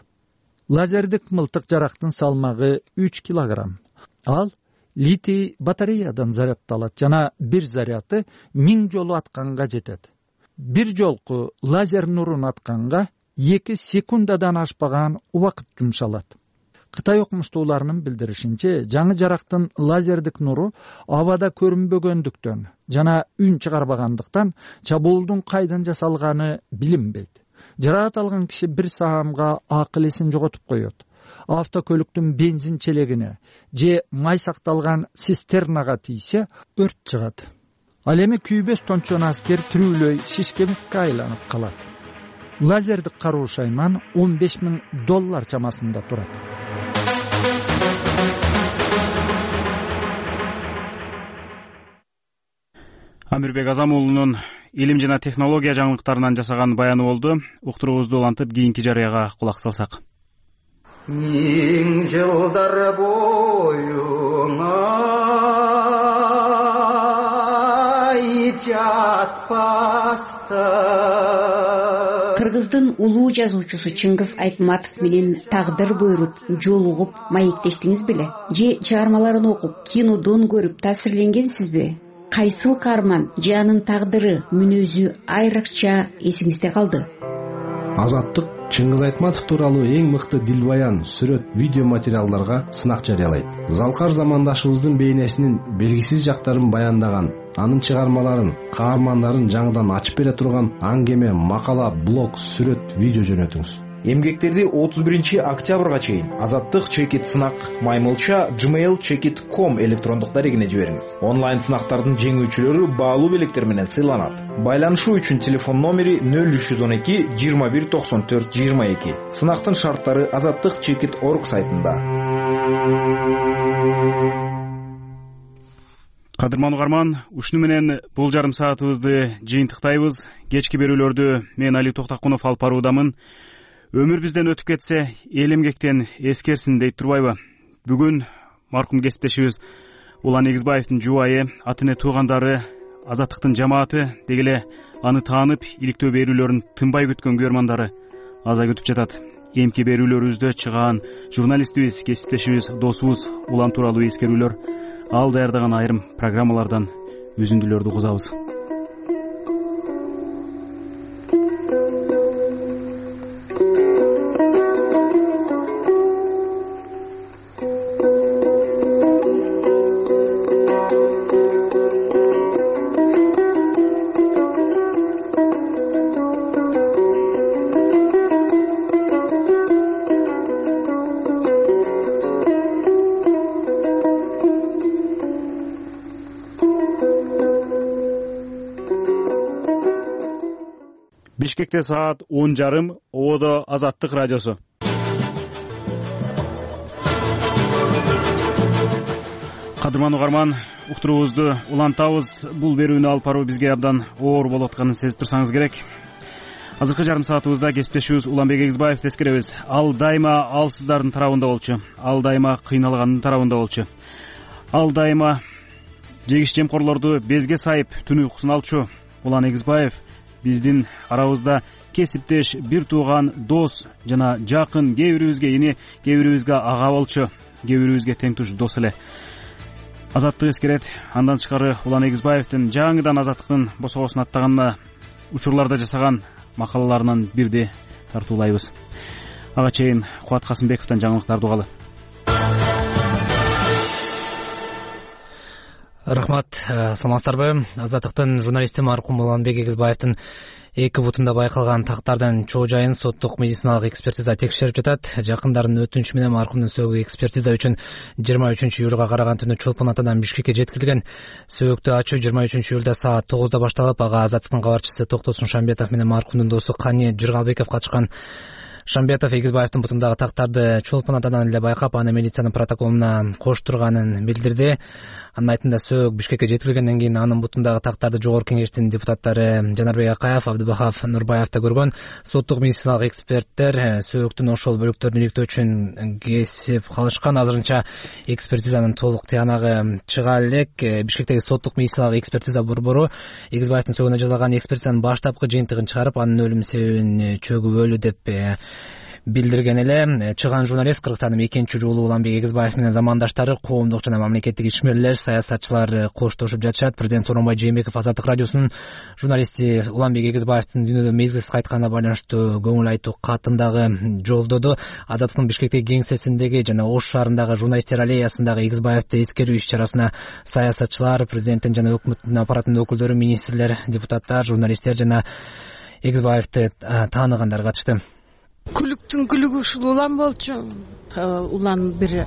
Лазердик мылтык жарактын салмагы 3 килограмм. Ал литий батареядан зарядталат жана бир заряды 1000 жолу атканга жетет. Бир жолку лазер нурун атканга 2 секундадан ашпаган убакыт жумшалат. Кытай окумуштууларынын билдиришинче, жаңы жарактын лазердик нуру абада көрүнбөгөндүктөн жана үн чыгарбагандыктан чабуулдун кайдан жасалганы билинбейт. Жараат алган киши бир саамга акыл эсин жоготуп коет. Автокөлүктүн бензин челегине же май сакталган цистернага тийсе өрт чыгат. Ал эми күйбөс тончон аскер түрүүлөй шишкемикке айланып калат. Лазердик каруу шайман $15,000 чамасында турат. Амирбек Азамуулунун илим жана технология жаңылыктарынан жасаган баяны болду. Уктуруубузду улантып кийинки жарыяга кулак салсак. 1000 жылдар боюна жатпаста. Кыргыздын улуу жазуучусу Чыңгыз Айтматов менен тагдыр буйруп жолугуп маектештиңиз беле? Же чыгармаларын окуп, кинодон көрүп таасирленгенсизби? Кайсыл каарман же анын тагдыры, мүнөзү айрыкча эсиңизде калды? Азаттык Чыңгыз Айтматов тууралуу эң мыкты дилбаян, сүрөт, видео материалдарга сынак жарыялайт. Залкар замандашыбыздын бейнесинин белгисиз жактарын баяндаган, анын чыгармаларын, каармандарын жаңыдан ачып бере турган аңгеме, макала, блог, сүрөт, видео жөнөтүңүз. Эмгектерди 31 октябрга чейин Азаттык чекит сынак маймылча gmail.com электрондук дарегине жибериңиз. Онлайн сынактардын жеңүүчүлөрү баалуу белектер менен сыйланат. Байланышуу үчүн телефон номери 0312 21 94 22. Сынактын шарттары azattikchekit.org сайтында. Кадырман угарман, ушуну менен бул жарым саатыбызды жыйынтыктайбыз. кечки берүүлөрдү мен Али Токтакунов алып баруудамын. Өмүр бизден өтүп кетсе, эл эмгектен эскерсин дейт турбайбы? Бүгүн маркум кесиптешибиз Улан Эгизбаевдин жубайы, ата эне туугандары, Азаттыктын жамааты, деги эле аны таанып, иликтөө берүүлөрүн тынбай күткөн көрмандары аза күтүп жатат. Эмки берүүлөрүбүздө чыгаан журналистибиз, кесиптешибиз, досубуз Улан тууралуу эскерүүлөр, ал даярдаган айрым программалардан үзүндүлөрдү угузабыз. Бишкекте саат 10:30, Ободо Азаттык радиосу. Кадырман угарман, уктуруубузду улантабыз. Бул берүүнү алып баруу бизге абдан оор болуп атканын сезип турсаңыз керек. Азыркы жарым саатыбызда кесиптешибиз Уланбек Эгизбаевди эскеребиз. Ал дайыма алсыздардын тарабында болчу. Ал дайыма кыйналгандын тарабында болчу. Ал дайыма жегиш жемкорлорду безге сайып түн уйкусун алчу. Улан Эгизбаев биздин арабызда кесиптеш, бир тууган, дос жана жакын, кээ бирибизге ини, кээ бирибизге ага болчу, кээ бирибизге тең туш дос эле. Азаттык эскерет. Андан тышкары Улан Эгизбаевдин жаңыдан Азаттыктын босогосун аттаганына учурларда жасаган макалаларынан бирди тартуулайбыз. Ага чейин Кубат Касымбековдон жаңылыктарды угалы. Рахмат, саламатсыздарбы? Азаттыктын журналисти маркум Уланбек Эгизбаевдин эки бутунда байкалган тактардын чоо жайын соттук медициналык экспертиза текшерип жатат. Жакындардын өтүнүчү менен маркумдун сөөгү экспертиза үчүн 23 июлга караган түнү Чолпон атадан Бишкекке жеткирилген. Сөөгүктү ачуу 23 июлда саат 9:00 башталып, ага Азаттыктын кабарчысы Токтосун Шамбетов менен маркумдун досу Кани Жыргалбеков катышкан. Шамбетов Эгизбаевдин бутундагы тактарды Чолпон атадан эле байкап, аны милициянын протоколуна коштурганын билдирди. Анын айтымында сөөгүк Бишкекке жеткирилгенден кийин анын бутундагы тактарды Жогорку Кеңештин депутаттары Жанарбек Акаев, Абдыбахов, Нурбаев да көргөн. Соттук медициналык эксперттер сөөгүктүн ошол бөлүктөрүн иликтөө үчүн кесип калышкан. Азырынча экспертизанын толук тыянагы чыга элек. Бишкектеги соттук медициналык экспертиза борбору Эгизбаевдин сөөгүнө жасалган экспертизанын баштапкы жыйынтыгын чыгарып, анын өлүм себебин чөгүбөлүү деп билдирген эле. Чыган журналист Кыргызстандын 2-жуулу Уланбек Эгизбаев менен замандаштары, коомдук жана мамлекеттик ишмерлер, саясатчылар коштошуп жатышат. Президент Сооронбай Жээнбеков Азаттык радиосунун журналисти Уланбек Эгизбаевдин дүйнөдөн мезгилсиз кайтканына байланыштуу көңүл айтуу катын дагы жолдоду. Азаттыктын Бишкектеги кеңсесиндеги жана Ош шаарындагы журналисттер аллеясындагы Эгизбаевди эскерүү иш-чарасына саясатчылар, президенттин жана өкмөттүн аппаратынын өкүлдөрү, министрлер, депутаттар, журналисттер жана Эгизбаевди тааныгандар катышты. Күлүктүн күлүгү ушул Улан болчу. Улан бир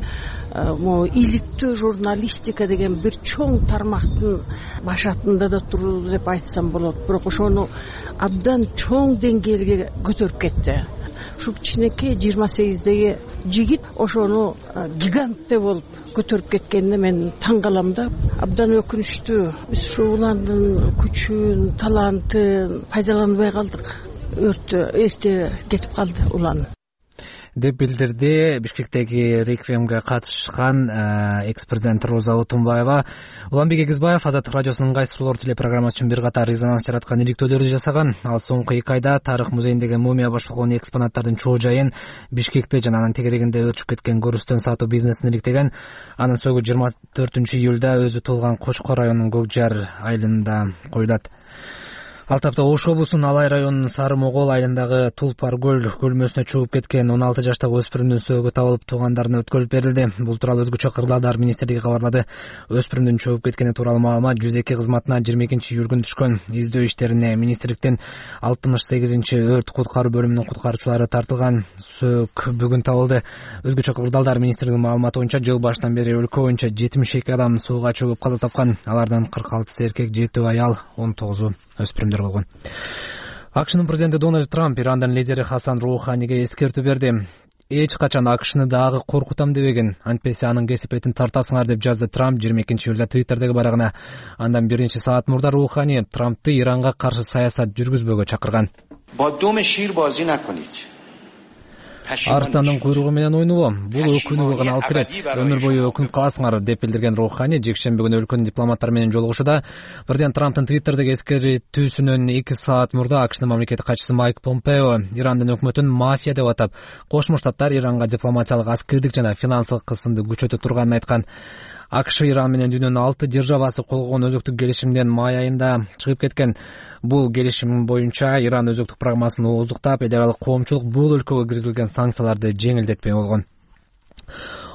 иликтөө журналистика деген бир чоң тармактын башатында да турду деп айтсам болот. Бирок ошону абдан чоң деңгээлге көтөрүп кетти. Ушу кичинекей 28-деги жигит ошону гигантте болуп көтөрүп кеткенине мен таң калам да. Абдан өкүнүчтүү. Биз ушу Уландын күчүн, талантын пайдаланбай калдык. Эрте кетип калды Улан деп билдирди Бишкектеги реквиемге катышкан экс-президент Роза Отунбаева. Уланбек Эгизбаев Азаттык радиосунун кайсы суроолор телепрограммасы үчүн бир катар резонанс жараткан иликтөөлөрдү жасаган. Ал соңку 2 айда тарых музейиндеги мумия башталган экспонаттардын чоо жайын, Бишкекте жана анын тегерегинде өрчүп кеткен көрүстөн сатуу бизнесин иликтеген. Анын сөөгү 24 июлда өзү туулган Кочкор районунун Көк Жар айылында коюлат. Ал тапта Ош облусунун Алай районунун Сары Могол айылындагы Тулпар көл көлмөсүнө чыгып кеткен 16 жаштагы өспүрүмдүн сөөгү табылып туугандарына өткөрүлүп берилди. Бул тууралуу өзгөчө Кырдаалдар министрлиги кабарлады. Өспүрүмдүн чыгып кеткени тууралуу маалымат 102 кызматына 22 июль күнү түшкөн. Издөө иштерине министрликтин 68-өрт куткаруу бөлүмүнүн куткаруучулары тартылган. Сөök бүгүн табылды. Өзгөчө Кырдаалдар министрлигинин маалыматы боюнча жыл башынан бери өлкө боюнча 72 адам сууга чөгүп каза тапкан. Алардын 46 эркек, 7 аял, 19 өспүрүмдөр болгон. AQShnын президенти Дональд Трамп Ирандын лидери Хасан Роуханиге эскертүү берди. эч качан АКШны дагы коркутам дебеген. Антпесе анын кесепетин тартасыңар деп жазды Трамп 22-июлда Твиттердеги барагына. Андан бир нече саат мурда Рухани Трампты Иранга каршы саясат жүргүзбөгө чакырган. Арстандын куйругу менен ойнобо. Бул өкүнүүгө гана алып келет. Өмүр бою өкүнүп каласыңар деп билдирген Рухани жекшемби күнү өлкөнүн дипломаттары менен жолугушууда бирден Трамптын Твиттердеги эскертүүсүнөн 2 саат мурда АКШнын мамлекеттик катчысы Майк Помпео Ирандын өкмөтүн мафия деп атап, Кошмо Штаттар Иранга дипломатиялык, аскердик жана финансылык кысымды күчөтө турганын айткан. АКШ Иран менен дүйнөнүн 6 державасы кол койгон өзөктүк келишимден май айында чыгып кеткен. Бул келишим боюнча Иран өзөктүк программасын ооздуктап, эл аралык коомчулук бул өлкөгө киргизилген санкцияларды жеңилдетпей болгон.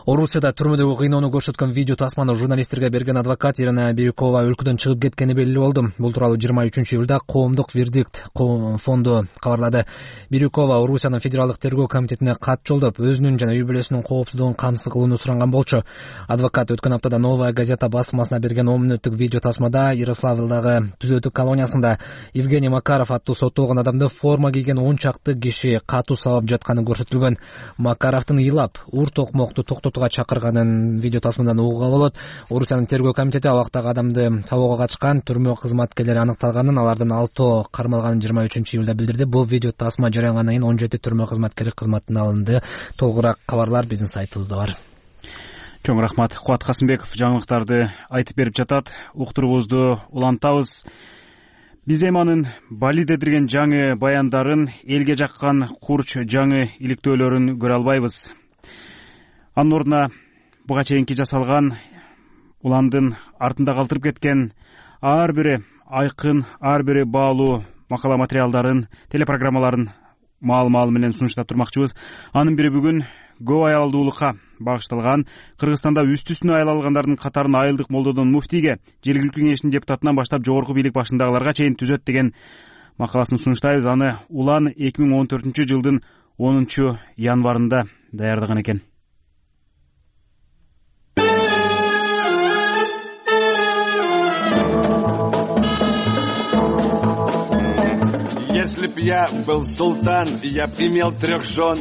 Орусияда түрмөдөгү кыйноону көрсөткөн видео тасманы журналисттерге берген адвокат Ирина Бирюкова өлкөдөн чыгып кеткени белгилүү болду. Бул тууралуу 23-июлда Коомдук вердикт фонду кабарлады. Бирюкова Орусиянын федералдык тергөө комитетине кат жолдоп, өзүнүн жана үй бүлөсүнүн коопсуздугун камсыз кылууну суранган болчу. Адвокат өткөн аптада Новая газета басылмасына берген 10 мүнөттүк видео тасмада Ярославлдагы түзөтүү колониясында Евгений Макаров аттуу соттолгон адамды форма кийген 10 чакты киши катуу сабап жатканы көрсөтүлгөн. Макаровдун ыйлап, ур токмокту токтотууга чакырганын видео тасмадан угууга болот. Орусиянын тергөө комитети абактагы адамды сабоого катышкан түрмө кызматкерлери аныкталганын, алардын 6 кармалганын 23-июлда билдирди. Бул видео тасма жарыялангандан кийин 17 түрмө кызматкери кызматтан алынды. Толугураак кабарлар биздин сайтыбызда бар. Чоң рахмат. Кубат Касымбеков жаңылыктарды айтып берип жатат. Уктуруубузду улантабыз. Биз Эманын Бали дедирген жаңы баяндарын, элге жаккан курч жаңы иликтөөлөрүн көрө албайбыз. Анын ордуна буга чейинки жасалган, уландын артында калтырып кеткен ар бири айкын, ар бири баалуу макала материалдарын, телепрограммаларын маал менен сунуштап турмакчыбыз. Анын бири бүгүн көп аялдуулукка багышталган Кыргызстанда үстү-үстүнө аял алгандардын катарын айылдык молдодон муфтийге, жергиликтүү кеңештин депутатынан баштап жогорку бийлик башындагыларга чейин түзөт деген макаласын сунуштайбыз. Аны Улан 2014-жылдын 10 январында даярдаган экен. Если б я был султан, я б имел 3 жен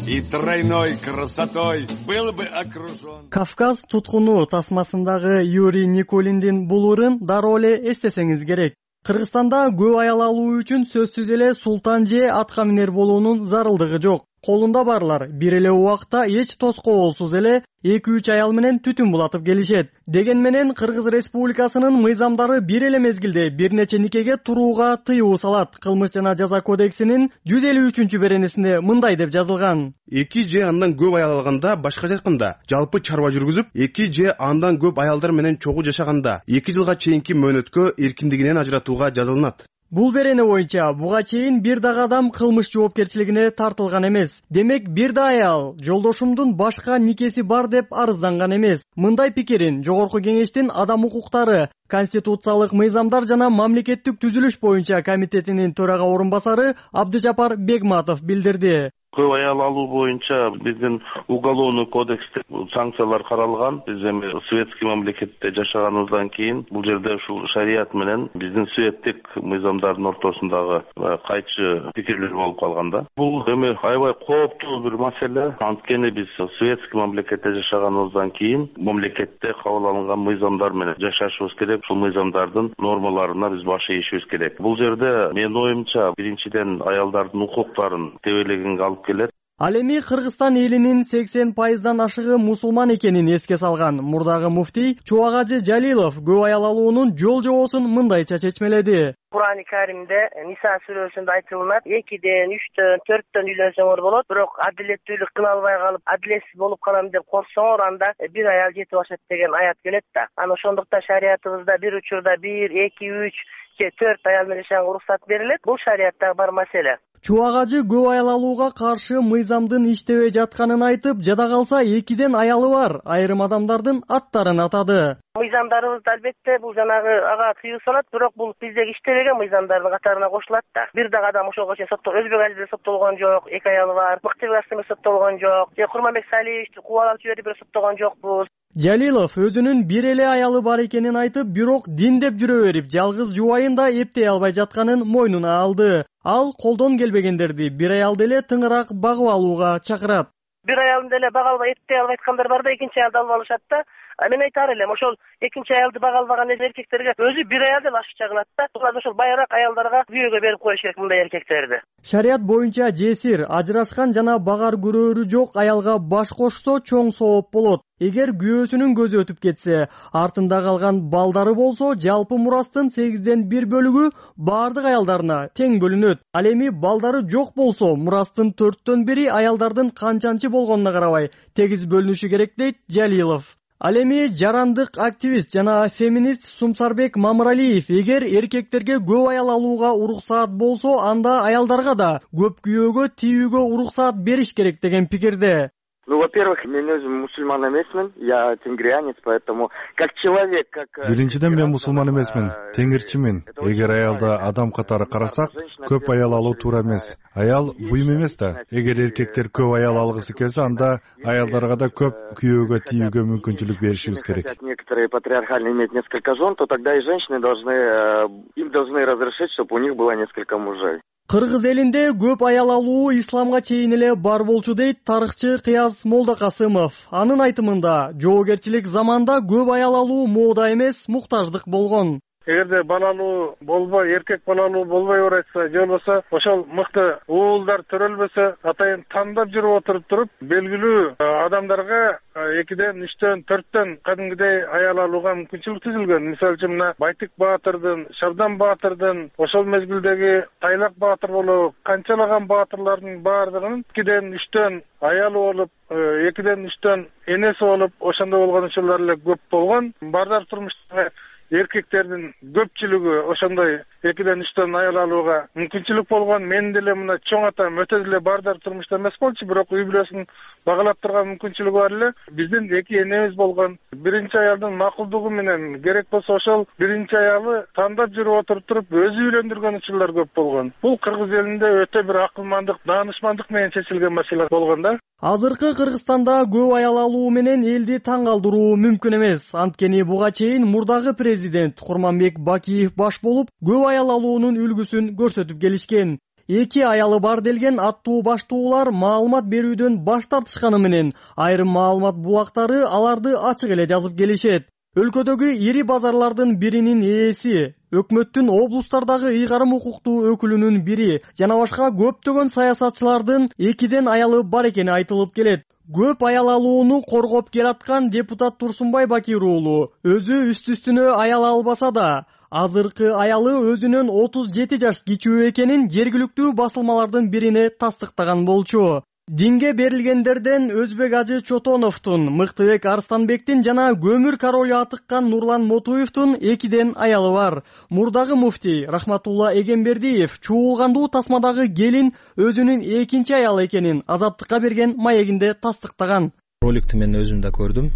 и тройной красотой был бы окружен. Кавказ туткуну тасмасындагы Юрий Никулиндин булурун дароо эле эстесеңиз керек. Кыргызстанда көп аял алуу үчүн сөзсүз эле султан же атка минер болуунун зарылдыгы жок. Колунда барлар бир эле убакта эч тоскоолсуз эле 2-3 аял менен түтүн булатып келишет. Деген менен Кыргыз Республикасынын мыйзамдары бир эле мезгилде бир нече никеге турууга тыюу салат. Кылмыш жана жаза кодексинин 153-беренесинде мындай деп жазылган. 2 же андан көп аял алганда, башкача айтканда, жалпы чарба жүргүзүп, 2 же андан көп аялдар менен чогуу жашаганда 2 жылга чейинки мөөнөткө эркиндигинен ажыратууга жазылынат. Бул берене боюнча буга чейин бир дагы адам кылмыш жоопкерчилигине тартылган эмес. Демек бир да аял жолдошумдун башка никеси бар деп арызданган эмес. Мындай пикирин Жогорку кеңештин адам укуктары, конституциялык мыйзамдар жана мамлекеттик түзүлүш боюнча комитетинин төрага орун басары Абдыжапар Бегматов билдирди. Көп аял алуу боюнча биздин уголовный кодексте санкциялар каралган. Биз эми советский мамлекетте жашаганыбыздан кийин бул жерде ушул шарият менен биздин светтик мыйзамдардын ортосундагы кайчы пикирлер болуп калганда. Бул эми аябай кооптуу бир маселе. Анткени биз советский мамлекетте жашаганыбыздан кийин мамлекетте кабыл алынган мыйзамдар менен жашашыбыз керек. Ушул мыйзамдардын нормаларына биз баш ийишибиз керек. Бул жерде менин оюмча биринчиден аялдардын укуктарын тебелегенге алып келет. Ал эми Кыргызстан элинин 80% ашыгы мусулман экенин эске салган мурдагы муфтий Чубагажы Жалилов көп аял алуунун жол-жобосун мындайча чечмеледи. Кур'ан-ы Каримде Ниса сүрөсүндө айтылат, 2ден, 3төн, 4төн үйлөнсөңөр болот, бирок адилеттүүлүк кыла албай калып, адилетсиз болуп калам деп корксоңор, анда бир аял жетип ашат деген аят келет да. Аны ошондуктан шариятыбызда бир учурда 1, 2, 3 же 4 аял менен жашаганга уруксат берилет. Бул шариятта бар маселе. Чубагажы көп аял алууга каршы мыйзамдын иштебей жатканын айтып, жада калса 2ден аялы бар айрым адамдардын аттарын атады. Мыйзамдарыбызда албетте бул жанагы ага тыюу салат, бирок бул биздеги иштебеген мыйзамдардын катарына кошулат да. Бир дагы адам ошого чейин Өзбек Алиде соттолгон жок, 2 аялы бар. Мыктыбек Асымов соттолгон жок, же Курманбек Салиевичти кубалап жиберип бир соттолгон жокпуз. Жалилов өзүнүн бир эле аялы бар экенин айтып, бирок дин деп жүрө берип, жалгыз жубайын да эптей албай жатканын мойнуна алды. Ал колдон келбегендерди бир аялды эле тыңыраак багып алууга чакырат. бир аялын деле бага албай эттей алып айткандар бар да, экинчи аялды алып алышат да. Мен айтар элем, ошол экинчи аялды бага албаган эркектерге өзү бир аял деп ашыкча кылат да. Булар ошол байраак аялдарга күйөөгө берип коюш керек мындай эркектерди. Шарият боюнча жесир, ажырашкан жана багар көрөөрү жок аялга баш кошсо чоң сооп болот. Эгер күйөөсүнүн көзү өтүп кетсе, артында калган балдары болсо, жалпы мурастын 8ден 1 бөлүгү бардык аялдарына тең бөлүнөт. Ал эми балдары жок болсо, мурастын 4төн 1 аялдардын канчанчы болгонуна карабай тегиз бөлүнүшү керек дейт Жалилов. Ал эми жарандык активист жана феминист Сумсарбек Мамыралиев эгер эркектерге көп аял алууга уруксаат болсо, анда аялдарга да көп күйөөгө тийүүгө уруксаат бериш керек деген пикирде. Во-первых, мен өзүм мусульман эмесмин, я тенгриянец, поэтому как человек, как... Биринчиден мен мусулман эмесмин, теңирчимин. Эгер аялды адам катары карасак, көп аял алуу туура эмес. Аял буюм эмес да. Эгер эркектер көп аял алгысы келсе, анда аялдарга да көп күйөөгө тийүүгө мүмкүнчүлүк беришибиз керек. Некоторые патриархально имеют несколько жен, то тогда и женщины должны разрешить, чтобы у них было несколько мужей. Кыргыз элинде көп аял алуу исламга чейин эле бар болчу дейт тарыхчы Кыяз Молдокасымов. Анын айтымында, жоогерчилик заманда көп аял алуу мода эмес, муктаждык болгон. Эгерде балалуу болбой, эркек балалуу болбой баратса, же болбосо ошол мыкты уулдар төрөлбөсө, атайын тандап жүрүп туруп, белгилүү адамдарга 2ден 3төн 4төн кадимгидей аял алууга мүмкүнчүлүк түзүлгөн. Мисалы үчүн мына Байтык Баатырдын, Шабдан Баатырдын, ошол мезгилдеги Тайлак Баатыр болобу, канчалаган баатырлардын баардыгынын 2ден 3төн аялы болуп, 2ден 3төн энеси болуп, ошондой болгон учурлар эле көп болгон. Бардar турмуштагы эркектердин көпчүлүгү ошондой 2ден 3төн аял алууга мүмкүнчүлүк болгон. Мен деле мына чоң атам өтө деле бардar турмушта эмес болчу, бирок үй бүлөсүн багалап турган мүмкүнчүлүгү бар эле. Биздин 2 энебиз болгон. Биринчи аялдын макулдугу менен керек болсо ошол биринчи аялы тандап жүрүп туруп өзү үйлөндүргөн учурлар көп болгон. Бул кыргыз элинде өтө бир акылмандык, даанышмандык менен чечилген маселе болгон да. Азыркы Кыргызстанда көп аял алуу менен элди таң калтыруу мүмкүн эмес. Анткени буга чейин мурдагы президент Курманбек Бакиев баш болуп, көп аял алуунун үлгүсүн көрсөтүп келишкен. 2 аялы бар делген аттуу баштуулар маалымат берүүдөн баш тартышканы менен айрым маалымат булактары аларды ачык эле жазып келишет. Өлкөдөгү ири базарлардын биринин ээси, өкмөттүн облустардагы ыйгарым укуктуу өкүлүнүн бири жана башка көптөгөн саясатчылардын 2ден аялы бар экени айтылып келет. Көп аял алууну коргоп келаткан депутат Турсунбай Бакир уулу өзү үстү-үстүнө аял албаса да, азыркы аялы өзүнөн 37 жаш кичүү экенин жергиликтүү басылмалардын бирине тастыктаган болчу. Динге берилгендерден Өзбек Ажы Чотоновдун, Мыктыбек Арстанбектин жана көмүр королу атыккан Нурлан Мотуевдун 2ден аялы бар. Мурдагы муфтий Рахматулла Эгембердиев чуулгандуу тасмадагы келин өзүнүн 2 аялы экенин Азаттыкка берген маегинде тастыктаган. Роликти мен өзүм да көрдүм.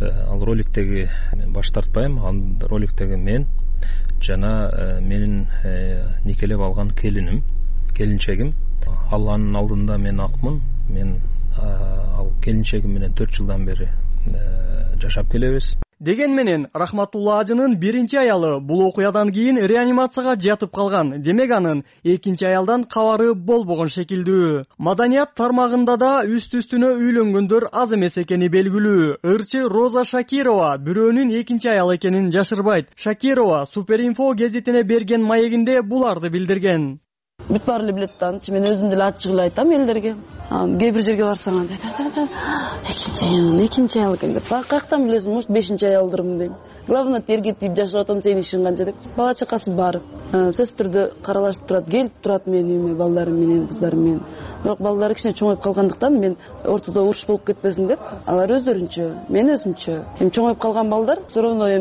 Ал роликтеги мен баш тартпайм. Ал роликтеги мен жана менин никелеп алган келинчегим. Алланын алдында мен акмын. Мен ал келинчегим менен 4 жылдан бери жашап келебиз. Деген менен Рахматулла Ажынын биринчи аялы бул окуядан кийин реанимацияга жатып калган. Демек анын 2 аялдан кабары болбогон шекилдүү. Маданият тармагында да үстү-үстүнө үйлөнгөндөр аз эмес экени белгилүү. Ырчы Роза Шакирова бирөөнүн 2 аялы экенин жашырбайт. Шакирова Суперинфо гезитине берген маегинде буларды билдирген. Бүт баары эле билет да, мен өзүм деле ачык эле айтам элдерге. Кээ бир жерге барсаң, экинчи аял экен деп. Каяктан билесиң, может 5 аялдырмын дейм. Главное терге тийип жашап атам, сенин ишиң канча деп. Бала чакасы бар. Сөзсүз түрдө каралашып турат, келип турат менин үйүмө балдарым менен, кыздарым менен. Бирок балдары кичине чоңоюп калгандыктан мен ортодо уруш болуп кетпесин деп, алар өздөрүнчө, мен өзүмчө. Чоңоюп калган балдар все равно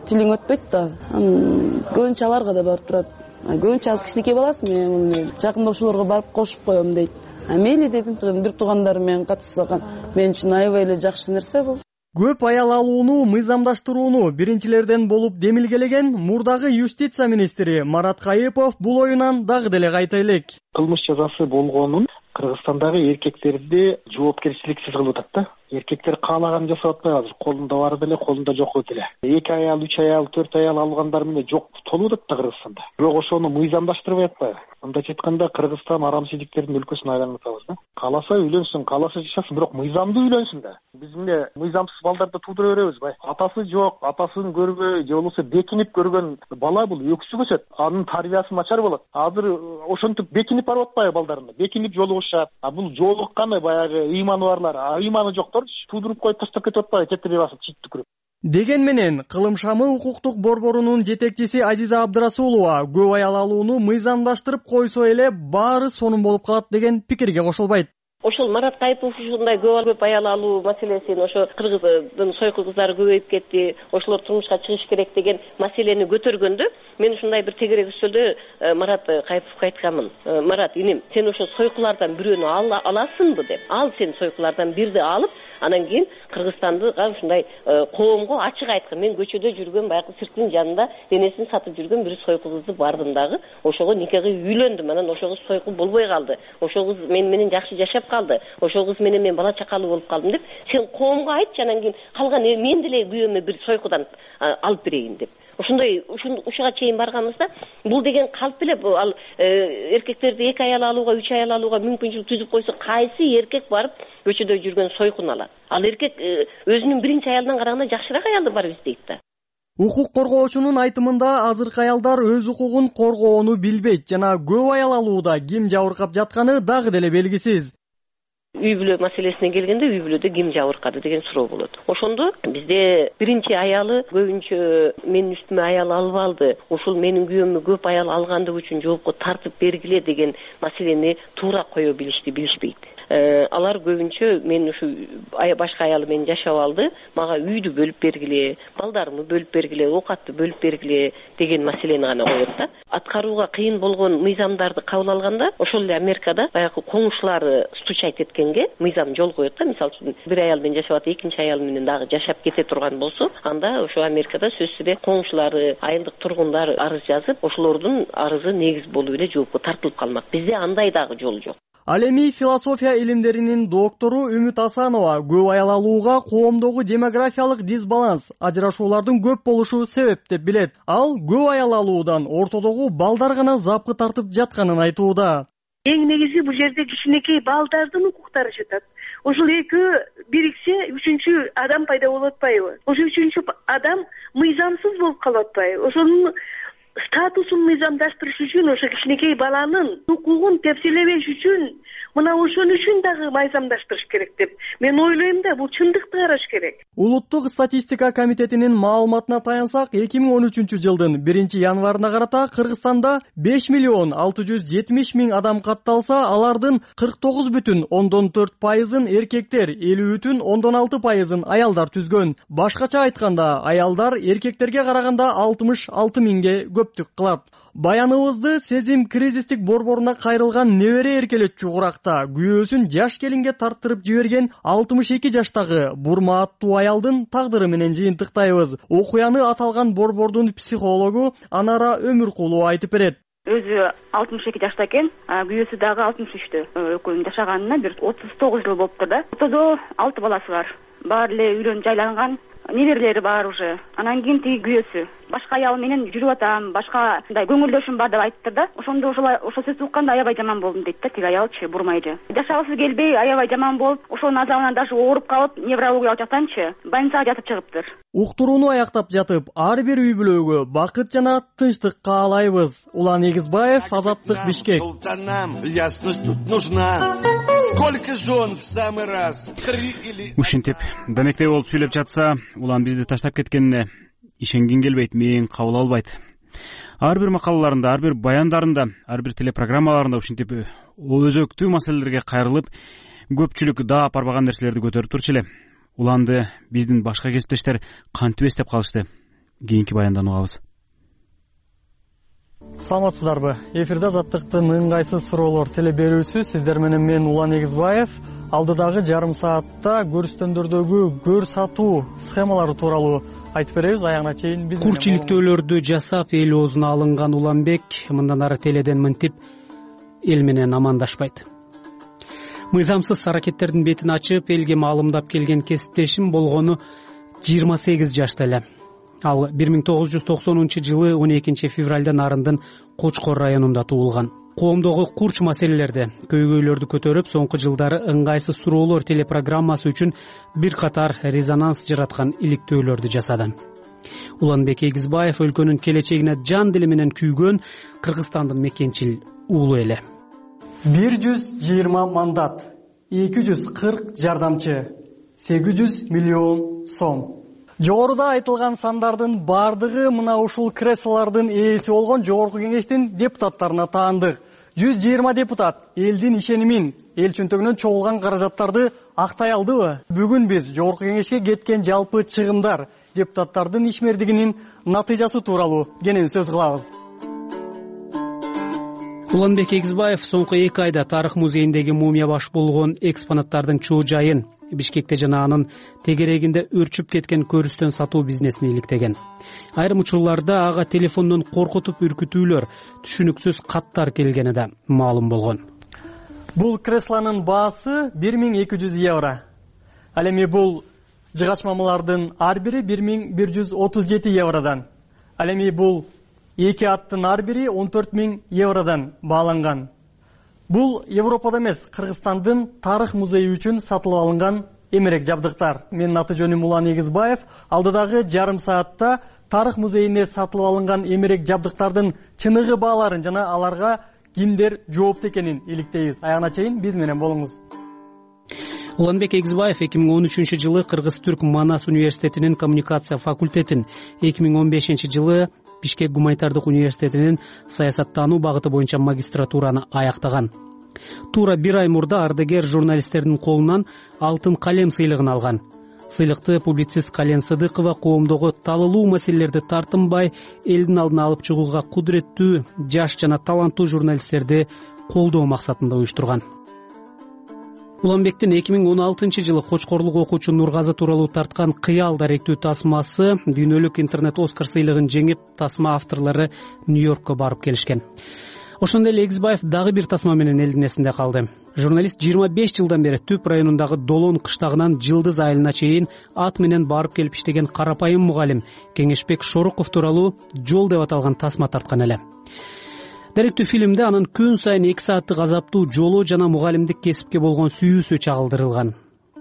тилиң өтпөйт да. Көбүнчө аларга да барып турат. Көбүнчө аз кичинекей баласы мен жакында ошолорго барып кошуп коем дейт. Мейли дедим, бир туугандарым менен катышсакан мен үчүн аябай эле жакшы нерсе бул. Көп аял алууну мыйзамдаштырууну биринчилерден болуп демилгелеген мурдагы юстиция министри Марат Кайыпов бул оюнан дагы деле кайта элек. Кылмыш жазасы болгонун Кыргызстандагы эркектерди жоопкерчиликсиз кылып атат да. Эркектер каалаганын жасап атпайбы азыр? Колунда бар деле, колунда жок деле. 2 аял, 3 аял, 4 аял алгандар менен жок толуп атат да Кыргызстанда. Бирок ошону мыйзамдаштырбай атпайбы? Мындайча айтканда Кыргызстан арамчылыктердин өлкөсүнө айланып атабыз да. Кааласа үйлөнсүн, кааласа жашасын, бирок мыйзамдуу үйлөнсүн да. Биз эмне мыйзамсыз балдарды туудура беребиз бай. Атасы жок, атасын көрбөй, же болбосо бекинип көргөн бала бул өксүп өсөт. Анын тарбиясы начар болот. Азыр ошентип бекинип барып атпайбы балдарына? Бекинип жолугушат. А бул жолукканы баягы ыйманы барлар, ыйманы жоктор туудуруп коюп таштап кетип атпайбы? Кетире басып чит түкүрүп. Деген менен Кылым шамы укуктук борборунун жетекчиси Азиза Абдрасулова көп аял алууну мыйзамдаштырып койсо эле баары сонун болуп калат деген пикирге кошулбайт. Ошол Марат Кайыпов ушундай көп аял алуу маселесин, ошо кыргыздын сойку кыздары көбөйүп кетти, ошолор турмушка чыгыш керек деген маселени көтөргөндө мен ушундай бир тегерек үстөлдө Марат Кайыповго айтканмын. Марат иним, сен ошо сойкулардан бирөөнү аласыңбы деп. Ал сен сойкулардан бирди алып, анан кийин Кыргызстандыга ушундай коомго ачык айткын. Мен көчөдө жүргөн баягы цирктин жанында денесин сатып жүргөн бир сойку кызды бардым дагы. Ошого никеге үйлөндүм. Анан ошо кыз сойку болбой калды. Ошо кыз менен жакшы жашап калды. Ошол кыз менен мен бала чакалуу болуп калдым деп сен коомго айтчы, анан кийин калган мен деле күйөөмө бир сойкудан алып берейин деп. Ошондой ушуга чейин барганыбызда бул деген калп эле ал эркектерди 2 аял алууга, 3 аял алууга мүмкүнчүлүк түзүп койсо кайсы эркек барып көчөдө жүргөн сойкуну алат? Ал эркек өзүнүн биринчи аялдан караганда жакшыраак аялды бар издейт да. Укук коргоочунун айтымында азыркы аялдар өз укугун коргоону билбейт жана көп аял алууда ким жабыркап жатканы дагы деле белгисиз. Үй бүлө маселесине келгенде үй бүлөдө ким жабыркады деген суроо болот. Ошондо бизде биринчи аялы көбүнчө менин үстүмө аял алып алды, ушул менин күйөөмө көп аял алгандыгы үчүн жоопко тартып бергиле деген маселени туура кое билишпейт. Алар көбүнчө мен ушу башка аялы менен жашап алды, мага үйдү бөлүп бергиле, балдарымды бөлүп бергиле, оокатты бөлүп бергиле деген маселени гана коет да. Аткарууга кыйын болгон мыйзамдарды кабыл алганда, ошол эле Америкада баягы коңшулары стучать эткенге мыйзам жол коет да. Мисалы үчүн бир аял менен жашап атып, экинчи аял менен дагы жашап кете турган болсо, анда ошо Америкада сөзсүз эле коңшулары, айылдык тургундар арыз жазып, ошолордун арызы негиз болуп эле жоопко тартылып калмак. Бизде андай дагы жол жок. Ал эми философия илимдеринин доктору Үмүт Асанова көп аял алууга коомдогу демографиялык дисбаланс, ажырашуулардын көп болушу себеп деп билет. Ал көп аял алуудан ортодогу балдар гана запкы тартып жатканын айтууда. Эң негизи бул жерде кичинекей балдардын укуктары жатат. Ошол экөө бириксе, үчүнчү адам пайда болуп атпайбы? Ошо үчүнчү адам мыйзамсыз болуп калып атпайбы? Ошонун статусун мыйзамдаштырыш үчүн, ошо кичинекей баланын укугун тепселебеш үчүн мына ошон үчүн дагы мыйзамдаштырыш керек деп мен ойлойм да, бул чындыкты караш керек. Улуттук статистика комитетинин маалыматына таянсак, 2013 жылдын 1-январына карата Кыргызстанда 5.670.000 адам катталса, алардын 49,4%-ын эркектер, 50,6%-ын аялдар түзгөн. Башкача айтканда, аялдар эркектерге караганда 66.000ге көптүк кылат. Баяныбызды Сезим кризистик борборуна кайрылган небере эркелетчү куракта күйөөсүн жаш келинге тарттырып жиберген 62 жаштагы Бурма аттуу аялдын тагдыры менен жыйынтыктайбыз. Окуяны аталган борбордун психологу Анара Өмүркулова айтып берет. Өзү 62 жашта экен, күйөөсү дагы 63-тө. Экөөнүн жашаганына бир 39 жыл болуптур да. Ортодо 6 баласы бар. Баары эле үйлөнүп жайланган, неберелери бар уже. Анан кийин тиги күйөөсү башка аял менен жүрүп атам, башка мындай көңүлдөшүм бар деп айтты да. Ошондо ошол сөздү укканда аябай жаман болдум дейт да тиги аялчы, Бурмайчы. Жашагысы келбей, аябай жаман болуп, ошонун азабынан даже ооруп калып, неврологиялык жактанчы больницага жатып чыгыптыр. Уктурууну аяктап жатып, ар бир үй бүлөгө бакыт жана тынчтык каалайбыз. Улан Эгизбаев, Азаттык, Бишкек. Ясность тут нужна. Сколько жен в самый раз? 3 или... Ушинтип данектей болуп сүйлөп жатса, улан бизди таштап кеткенине ишенгин келбейт, мен кабыл албайт. Ар бир макалаларында, ар бир баяндарында, ар бир телепрограммаларында ушинтип өзөктүү маселелерге кайрылып, көпчүлүк даап барбаган нерселерди көтөрүп турчу эле. Уланды биздин башка кесиптештер кантип эстеп калышты? Кийинки баяндан угабыз. Саламатсыздарбы? Эфирде Азаттыктын ыңгайсыз суроолор теле берүүсү. Сиздер менен мен Улан Эгизбаев. Алдыдагы жарым саатта көрүстөндөрдөгү көр сатуу схемалары тууралуу айтып беребиз. Аягына чейин биз курчиликтөөлөрдү жасап эл оозуна алынган Уланбек мындан ары теледен мынтип эл менен амандашпайт. Мыйзамсыз аракеттердин бетин ачып, элге маалымдап келген кесиптешим болгону 28 жашта эле. Ал 1990-жылы 12 февралда Нарындын Кочкор районунда туулган. Коомдогу курч маселелерди, көйгөйлөрдү көтөрүп, соңку жылдары ыңгайсыз суроолор телепрограммасы үчүн бир катар резонанс жараткан иликтөөлөрдү жасады. Уланбек Эгизбаев өлкөнүн келечегине жан дили менен күйгөн Кыргызстандын мекенчил уулу эле. 120 мандат, 240 жардамчы, 800 миллион сом. Жогоруда айтылган сандардын бардыгы мына ушул креслолордун ээси болгон Жогорку Кеңештин депутаттарына таандык. 120 депутат элдин ишенимин, эл чөнтөгүнөн чогулган каражаттарды актай алдыбы? Бүгүн биз Жогорку Кеңешке кеткен жалпы чыгымдар, депутаттардын ишмердигинин натыйжасы тууралуу кенен сөз кылабыз. Уланбек Эгизбаев соңку 2 айда Тарых музейиндеги мумия баш болгон экспонаттардын чоо жайын, Бишкекте жана анын тегерегинде өрчүп кеткен көрүстөн сатуу бизнесин иликтеген. Айрым учурларда ага телефондон коркутуп үркүтүүлөр, түшүнүксүз каттар келгени да маалым болгон. Бул креслонун баасы 1200 евро. Ал эми бул жыгачмамалардын ар бири 1137 евродан. Ал эми бул 2 аттын ар бири 14 000 евродан бааланган. Бул Европада эмес, Кыргызстандын Тарых музейи үчүн сатылып алынган эмерек жабдыктар. Менин аты жөнүм Улан Эгизбаев. Алдыдагы жарым саатта Тарых музейине сатылып алынган эмерек жабдыктардын чыныгы бааларын жана аларга кимдер жоопту экенин иликтейбиз. Аягына чейин биз менен болуңуз. Уланбек Эгизбаев 2013-жылы Кыргыз-Түрк Манас университетинин коммуникация факультетин, 2015-жылы Бишкек гуманитардык университетинин саясаттануу багыты боюнча магистратураны аяктаган. Туура 1 ай мурда ардагер журналисттердин колунан алтын калем сыйлыгын алган. Сыйлыкты публицист Кален Сыдыкова коомдогу талылуу маселелерди тартынбай элдин алдына алып чыгууга кудуреттүү, жаш жана таланттуу журналисттерди колдоо максатында уюштурган. Уланбектин 2016-жылы Кочкорлук окуучу Нургазы тууралуу тарткан Кыял даректүү тасмасы дүйнөлүк интернет Оскар сыйлыгын жеңип, тасма авторлору Нью-Йоркко барып келишкен. Ошондой эле Эгизбаев дагы бир тасма менен элдин эсинде калды. Журналист 25 жылдан бери Түп районундагы Долон кыштагынан Жылдыз айылына чейин ат менен барып келип иштеген карапайым мугалим Кеңешбек Шоруков тууралуу Жол деп аталган тасма тарткан эле. Даректүү фильмде анын күн сайын 2 сааттык азаптуу жолу жана мугалимдик кесипке болгон сүйүүсү чагылдырылган.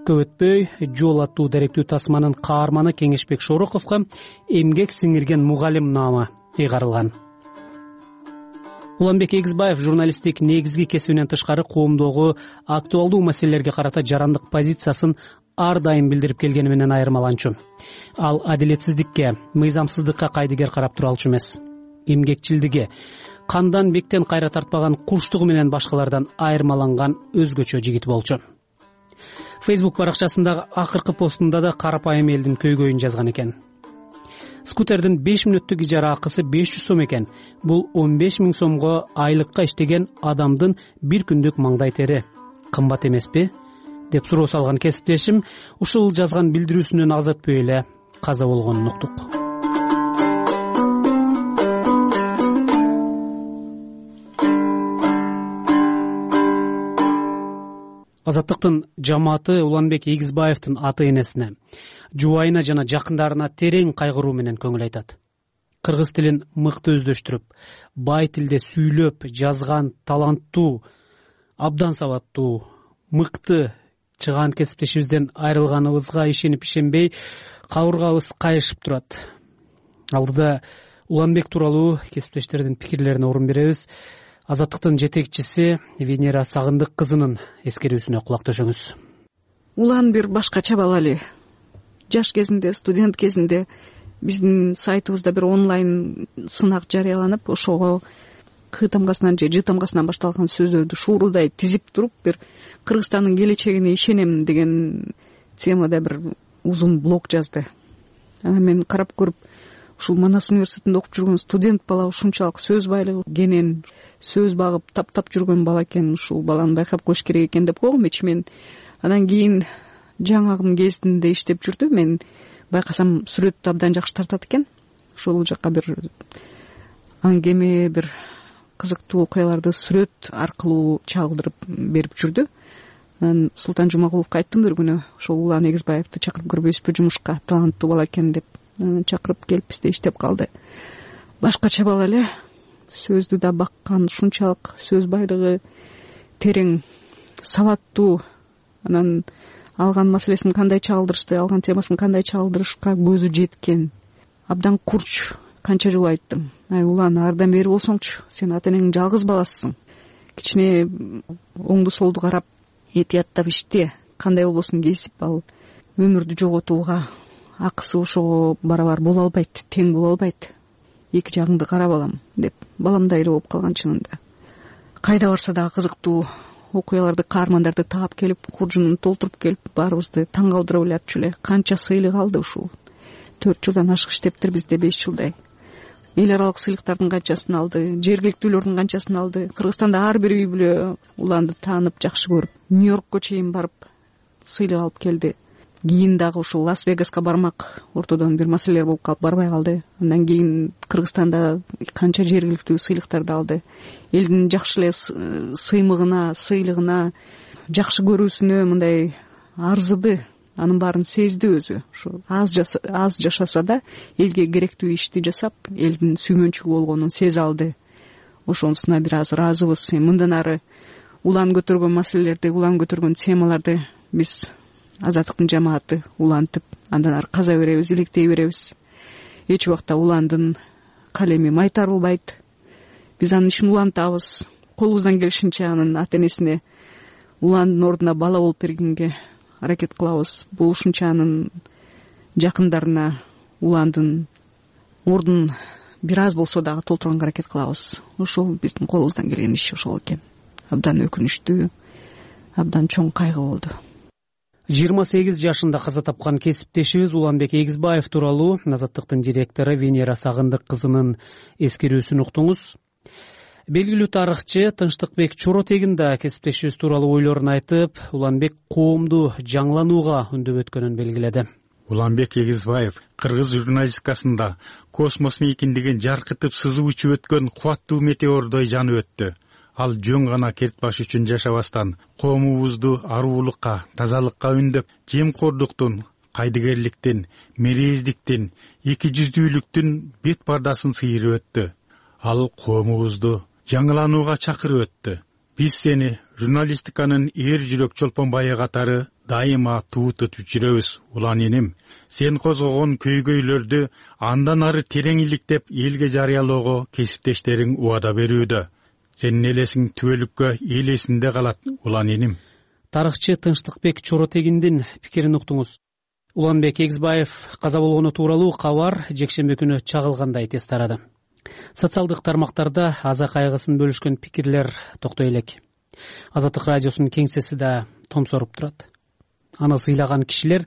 Көп өтпөй, Жол аттуу даректүү тасманын каарманы Кеңешбек Шороковго эмгек сиңирген мугалим наамы ыйгарылган. Уланбек Эгизбаев журналисттик негизги кесибинен тышкары коомдогу актуалдуу маселелерге карата жарандык позициясын ар дайым билдирип келгени менен айырмаланчу. Ал адилетсиздикке, мыйзамсыздыкка кайдыгер карап туралчу эмес. Эмгекчилдиги, кандан бектен кайра тартпаган курчтугу менен башкалардан айырмаланган өзгөчө жигит болчу. Facebook баракчасындагы акыркы постунда да карапайым элдин көйгөйүн жазган экен. Скутердин 5 мүнөттүк ижара акысы 500 сом экен. Бул 15 000 сомго айлыкка иштеген адамдын бир күндүк маңдай тери. Кымбат эмеспи? Деп суроо салган кесиптешим ушул жазган билдирүүсүнөн аз өтпөй эле каза болгонун уктук. Азаттыктын жамааты Уланбек Эгизбаевдин аты энесине, жубайына жана жакындарына терең кайгыруу менен көңүл айтат. Кыргыз тилин мыкты өздөштүрүп, бай тилде сүйлөп, жазган таланттуу, абдан сабаттуу, мыкты чыгаан кесиптешибизден айрылганыбызга ишенип-ишенбей кабыргабыз кайышып турат. Алдыда Уланбек тууралуу кесиптештердин пикирлерине орун беребиз. Азаттыктын жетекчиси Венера Сагындык кызынын эскерүүсүнө кулак төшөңүз. Улан бир башкача бала эле. Жаш кезинде, студент кезинде биздин сайтыбызда бир онлайн сынак жарыяланып, ошого К тамгасынан же Ж тамгасынан башталган сөздөрдү шуурудай тизип туруп, бир Кыргызстандын келечегине ишенем деген темада бир узун блог жазды. Аны мен карап көрүп, ушул Манас университетинде окуп жүргөн студент бала ушунчалык сөз байлыгы кенен, сөз багып таптап жүргөн бала экен, ушул баланы байкап коюш керек экен деп койгом ичимен. Анан кийин жаңагым кезинде иштеп жүрдү. Мен байкасам сүрөттү абдан жакшы тартат экен. Ошол жакка бир аңгеме, бир кызыктуу окуяларды сүрөт аркылуу чагылдырып берип жүрдү. Анан Султан Жумагуловго айттым бир күнү, ошол Улан Эгизбаевди чакырып көрбөйсүзбү жумушка, таланттуу бала экен деп. Чакырып келип бизде иштеп калды. Башкача бала эле, сөздү да баккан, ушунчалык сөз байлыгы терең, сабаттуу. Анан алган маселесин кандай чагылдырышты, алган темасын кандай чагылдырышка көзү жеткен. Абдан курч. Канча жолу айттым. Улан, ардан бери болсоңчу, сен ата энеңдин жалгыз баласысың. Кичине оңду солду карап, этияттап иште. Кандай болбосун кесип ал өмүрдү жоготууга акысы ошого барабар боло албайт, тең боло албайт. Эки жагыңды кара балам деп, баламдай эле болуп калган чынында. Кайда барса дагы кызыктуу окуяларды, каармандарды таап келип, куржунун толтуруп келип, баарыбызды таң калтырып эле эле. Канча сыйлык алды ушул. 4 жылдан ашык иштептир бизде, 5 жылдай. Эл аралык сыйлыктардын канчасын алды, жергиликтүүлөрдүн канчасын алды. Кыргызстанда ар бир үй бүлө Уланды таанып, жакшы көрүп, Нью-Йоркко чейин барып сыйлык алып келди. Кийин дагы ушул Лас-Вегаска бармак, ортодон бир маселелер болуп калып барбай калды. Андан кийин Кыргызстанда канча жергиликтүү сыйлыктарды алды. Элдин жакшы эле сыймыгына, сыйлыгына, жакшы көрүүсүнө мындай арзыды. Анын баарын сезди өзү. Ушу аз жашаса да элге керектүү ишти жасап, элдин сүймөнчүгү болгонун сезе алды. Ошонусуна бир аз ыраазыбыз. Мындан ары Улан көтөргөн маселелерди, Улан көтөргөн темаларды биз Азаттыктын жамааты улантып, андан ары каза беребиз, иликтей беребиз. Эч убакта Уландын калеми майтарылбайт. Биз анын ишин улантабыз. Колубуздан келишинче анын ата энесине Уландын ордуна бала болуп бергенге аракет кылабыз. Болушунча анын жакындарына Уландын ордун бир аз болсо дагы толтурганга аракет кылабыз. Ошол биздин колубуздан келген иш ошол экен. Абдан өкүнүчтүү, абдан чоң кайгы болду. 28 жашында каза тапкан кесиптешибиз Уланбек Эгизбаев тууралуу Азаттыктын директору Венера Сагындык кызынын эскерүүсүн уктуңуз. Белгилүү тарыхчы Тынчтыкбек Чоротегин да кесиптешибиз тууралуу ойлорун айтып, Уланбек коомду жаңыланууга үндөп өткөнүн белгиледи. Уланбек Эгизбаев кыргыз журналистикасында космос мейкиндигин жаркытып сызып учуп өткөн кубаттуу метеордой жанып өттү. Ал жөн гана кертбаш үчүн жашабастан, коомубузду аруулукка, тазалыкка үндөп, жемкордуктун, кайдыгерликтин, мерездиктин, эки жүздүүлүктүн бет пардасын сыйрып өттү. Ал коомубузду жаңыланууга чакырып өттү. Биз сени журналистиканын эр жүрөк чолпонбайы катары дайыма туутуп жүрөбүз, Улан энем. Сен козгогон көйгөйлөрдү андан ары терең иликтеп элге жарыялоого кесиптештериң убада берүүдө. Сенин элесиң түбөлүккө эл эсинде калат, Улан энем. Тарыхчы Тынчтыкбек Чоротегиндин пикирин уктуңуз. Уланбек Эгизбаев каза болгону тууралуу кабар жекшемби күнү чагылгандай тез тарады. Социалдык тармактарда аза кайгысын бөлүшкөн пикирлер токтой элек. Азаттык радиосунун кеңсеси да томсоруп турат. Аны сыйлаган кишилер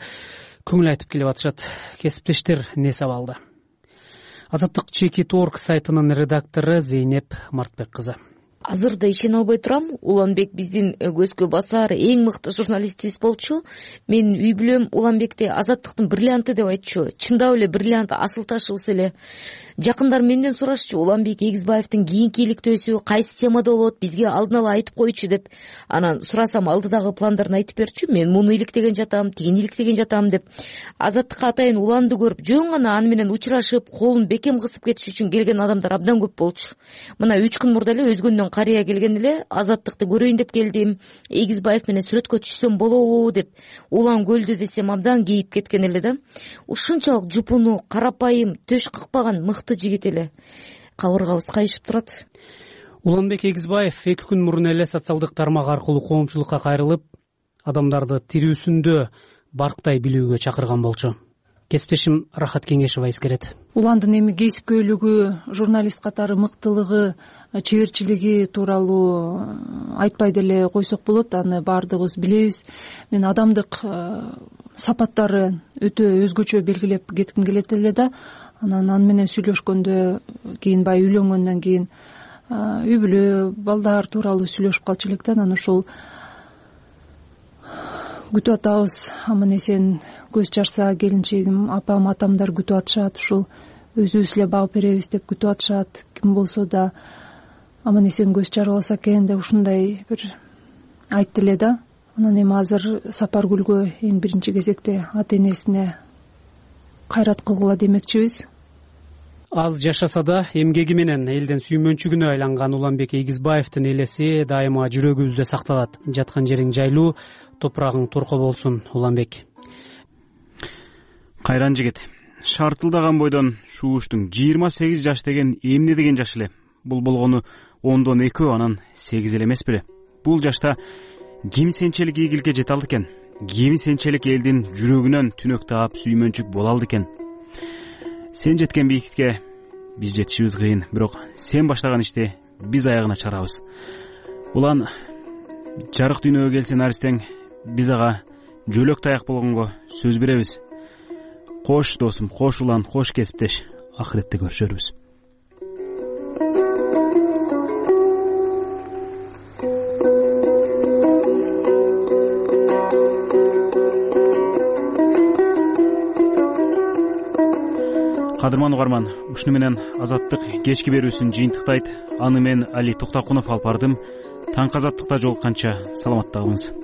көңүл айтып келип атышат. Кесиптештер несеп алды. Азаттык Чекит.орг сайтынын редактору Зейнеп Мартбек кызы. Азыр да ишене албай турам, Уланбек биздин көзгө басар эң мыкты журналистибиз болчу. Менин үй бүлөм Уланбекти Азаттыктын бриллианты деп айтчу. Чындап эле бриллиант, асыл ташыбыз эле. Жакындар менден сурашчу, Уланбек Эгизбаевдин кийинки иликтөөсү кайсы темада болот, бизге алдын ала айтып койчу деп. Анан сурасам алдыдагы пландарын айтып берчү. Мен муну иликтеген жатам, тигини иликтеген жатам деп. Азаттыкка атайын Уланды көрүп, жөн гана аны менен учурашып, колун бекем кысып кетиш үчүн келген адамдар абдан көп болчу. Мына 3 күн мурда эле өзгөндөн карыя келген эле, Азаттыкты көрөйүн деп келдим. Эгизбаев менен сүрөткө түшсөм болобу деп. Улан көлдү десем абдан кейип кеткен эле да. Ушунчалык жупуну, карапайым, төш кыкпаган мыкты жигит эле. Кабыргабыз кайышып турат. Уланбек Эгизбаев 2 күн мурун эле социалдык тармак аркылуу коомчулукка кайрылып, адамдарды тирүүсүндө барктай билүүгө чакырган болчу. Кесиптешим Рахат Кеңешева эскерет. Уландын эми кесипкөйлүгү, журналист катары мыктылыгы, чеберчилиги тууралуу айтпай деле койсок болот. Аны баардыгыбыз билебиз. Мен адамдык сапаттары өтө өзгөчө белгилеп кетким келет эле да. Анан аны менен сүйлөшкөндө кийин баягы үйлөнгөндөн кийин үй бүлө, балдар тууралуу сүйлөшүп калчу элек да. Анан ошол күтүп атабыз, аман эсен көз чарса келинчегим, апам, атамдар күтүп атышат. Ушул өзүбүз эле багып беребиз деп күтүп атышат. Ким болсо да аман эсен көз чарбаса экен деп ушундай бир айтты эле да. анан эми азыр Сапаргүлгө эң биринчи кезекте ата энесине кайрат кылгыла демекчибиз. Аз жашаса да эмгеги менен элдин сүймөнчүгүнө айланган Уланбек Эгизбаевдин элеси дайыма жүрөгүбүздө сакталат. Жаткан жериң жайлуу, топурагың торко болсун, Уланбек. Кайран жигит. Шартылдаган бойдон шууштуң 28 жаш деген эмне деген жаш эле? Бул болгону 10дон 2 анан 8 эле эмес беле? Бул жашта ким сенчелик ийгиликке жете алды экен? Ким сенчелик элдин жүрөгүнөн түнөк таап сүймөнчүк боло алды экен? Сен жеткен бийиктикке биз жетишибиз кыйын, бирок сен баштаган ишти биз аягына чыгарабыз. Улан жарык дүйнөгө келсе наристең, биз ага жөлөк таяк болгонго сөз беребиз. Кош досум, кош улан, кош кесиптеш. Акыретте көрүшөрбүз. Кадырман угарман, ушуну менен Азаттык кечки берүүсүн жыйынтыктайт. Аны мен Али Токтокунов алып бардым. Таңкы Азаттыкта жолукканча саламатта калыңыз.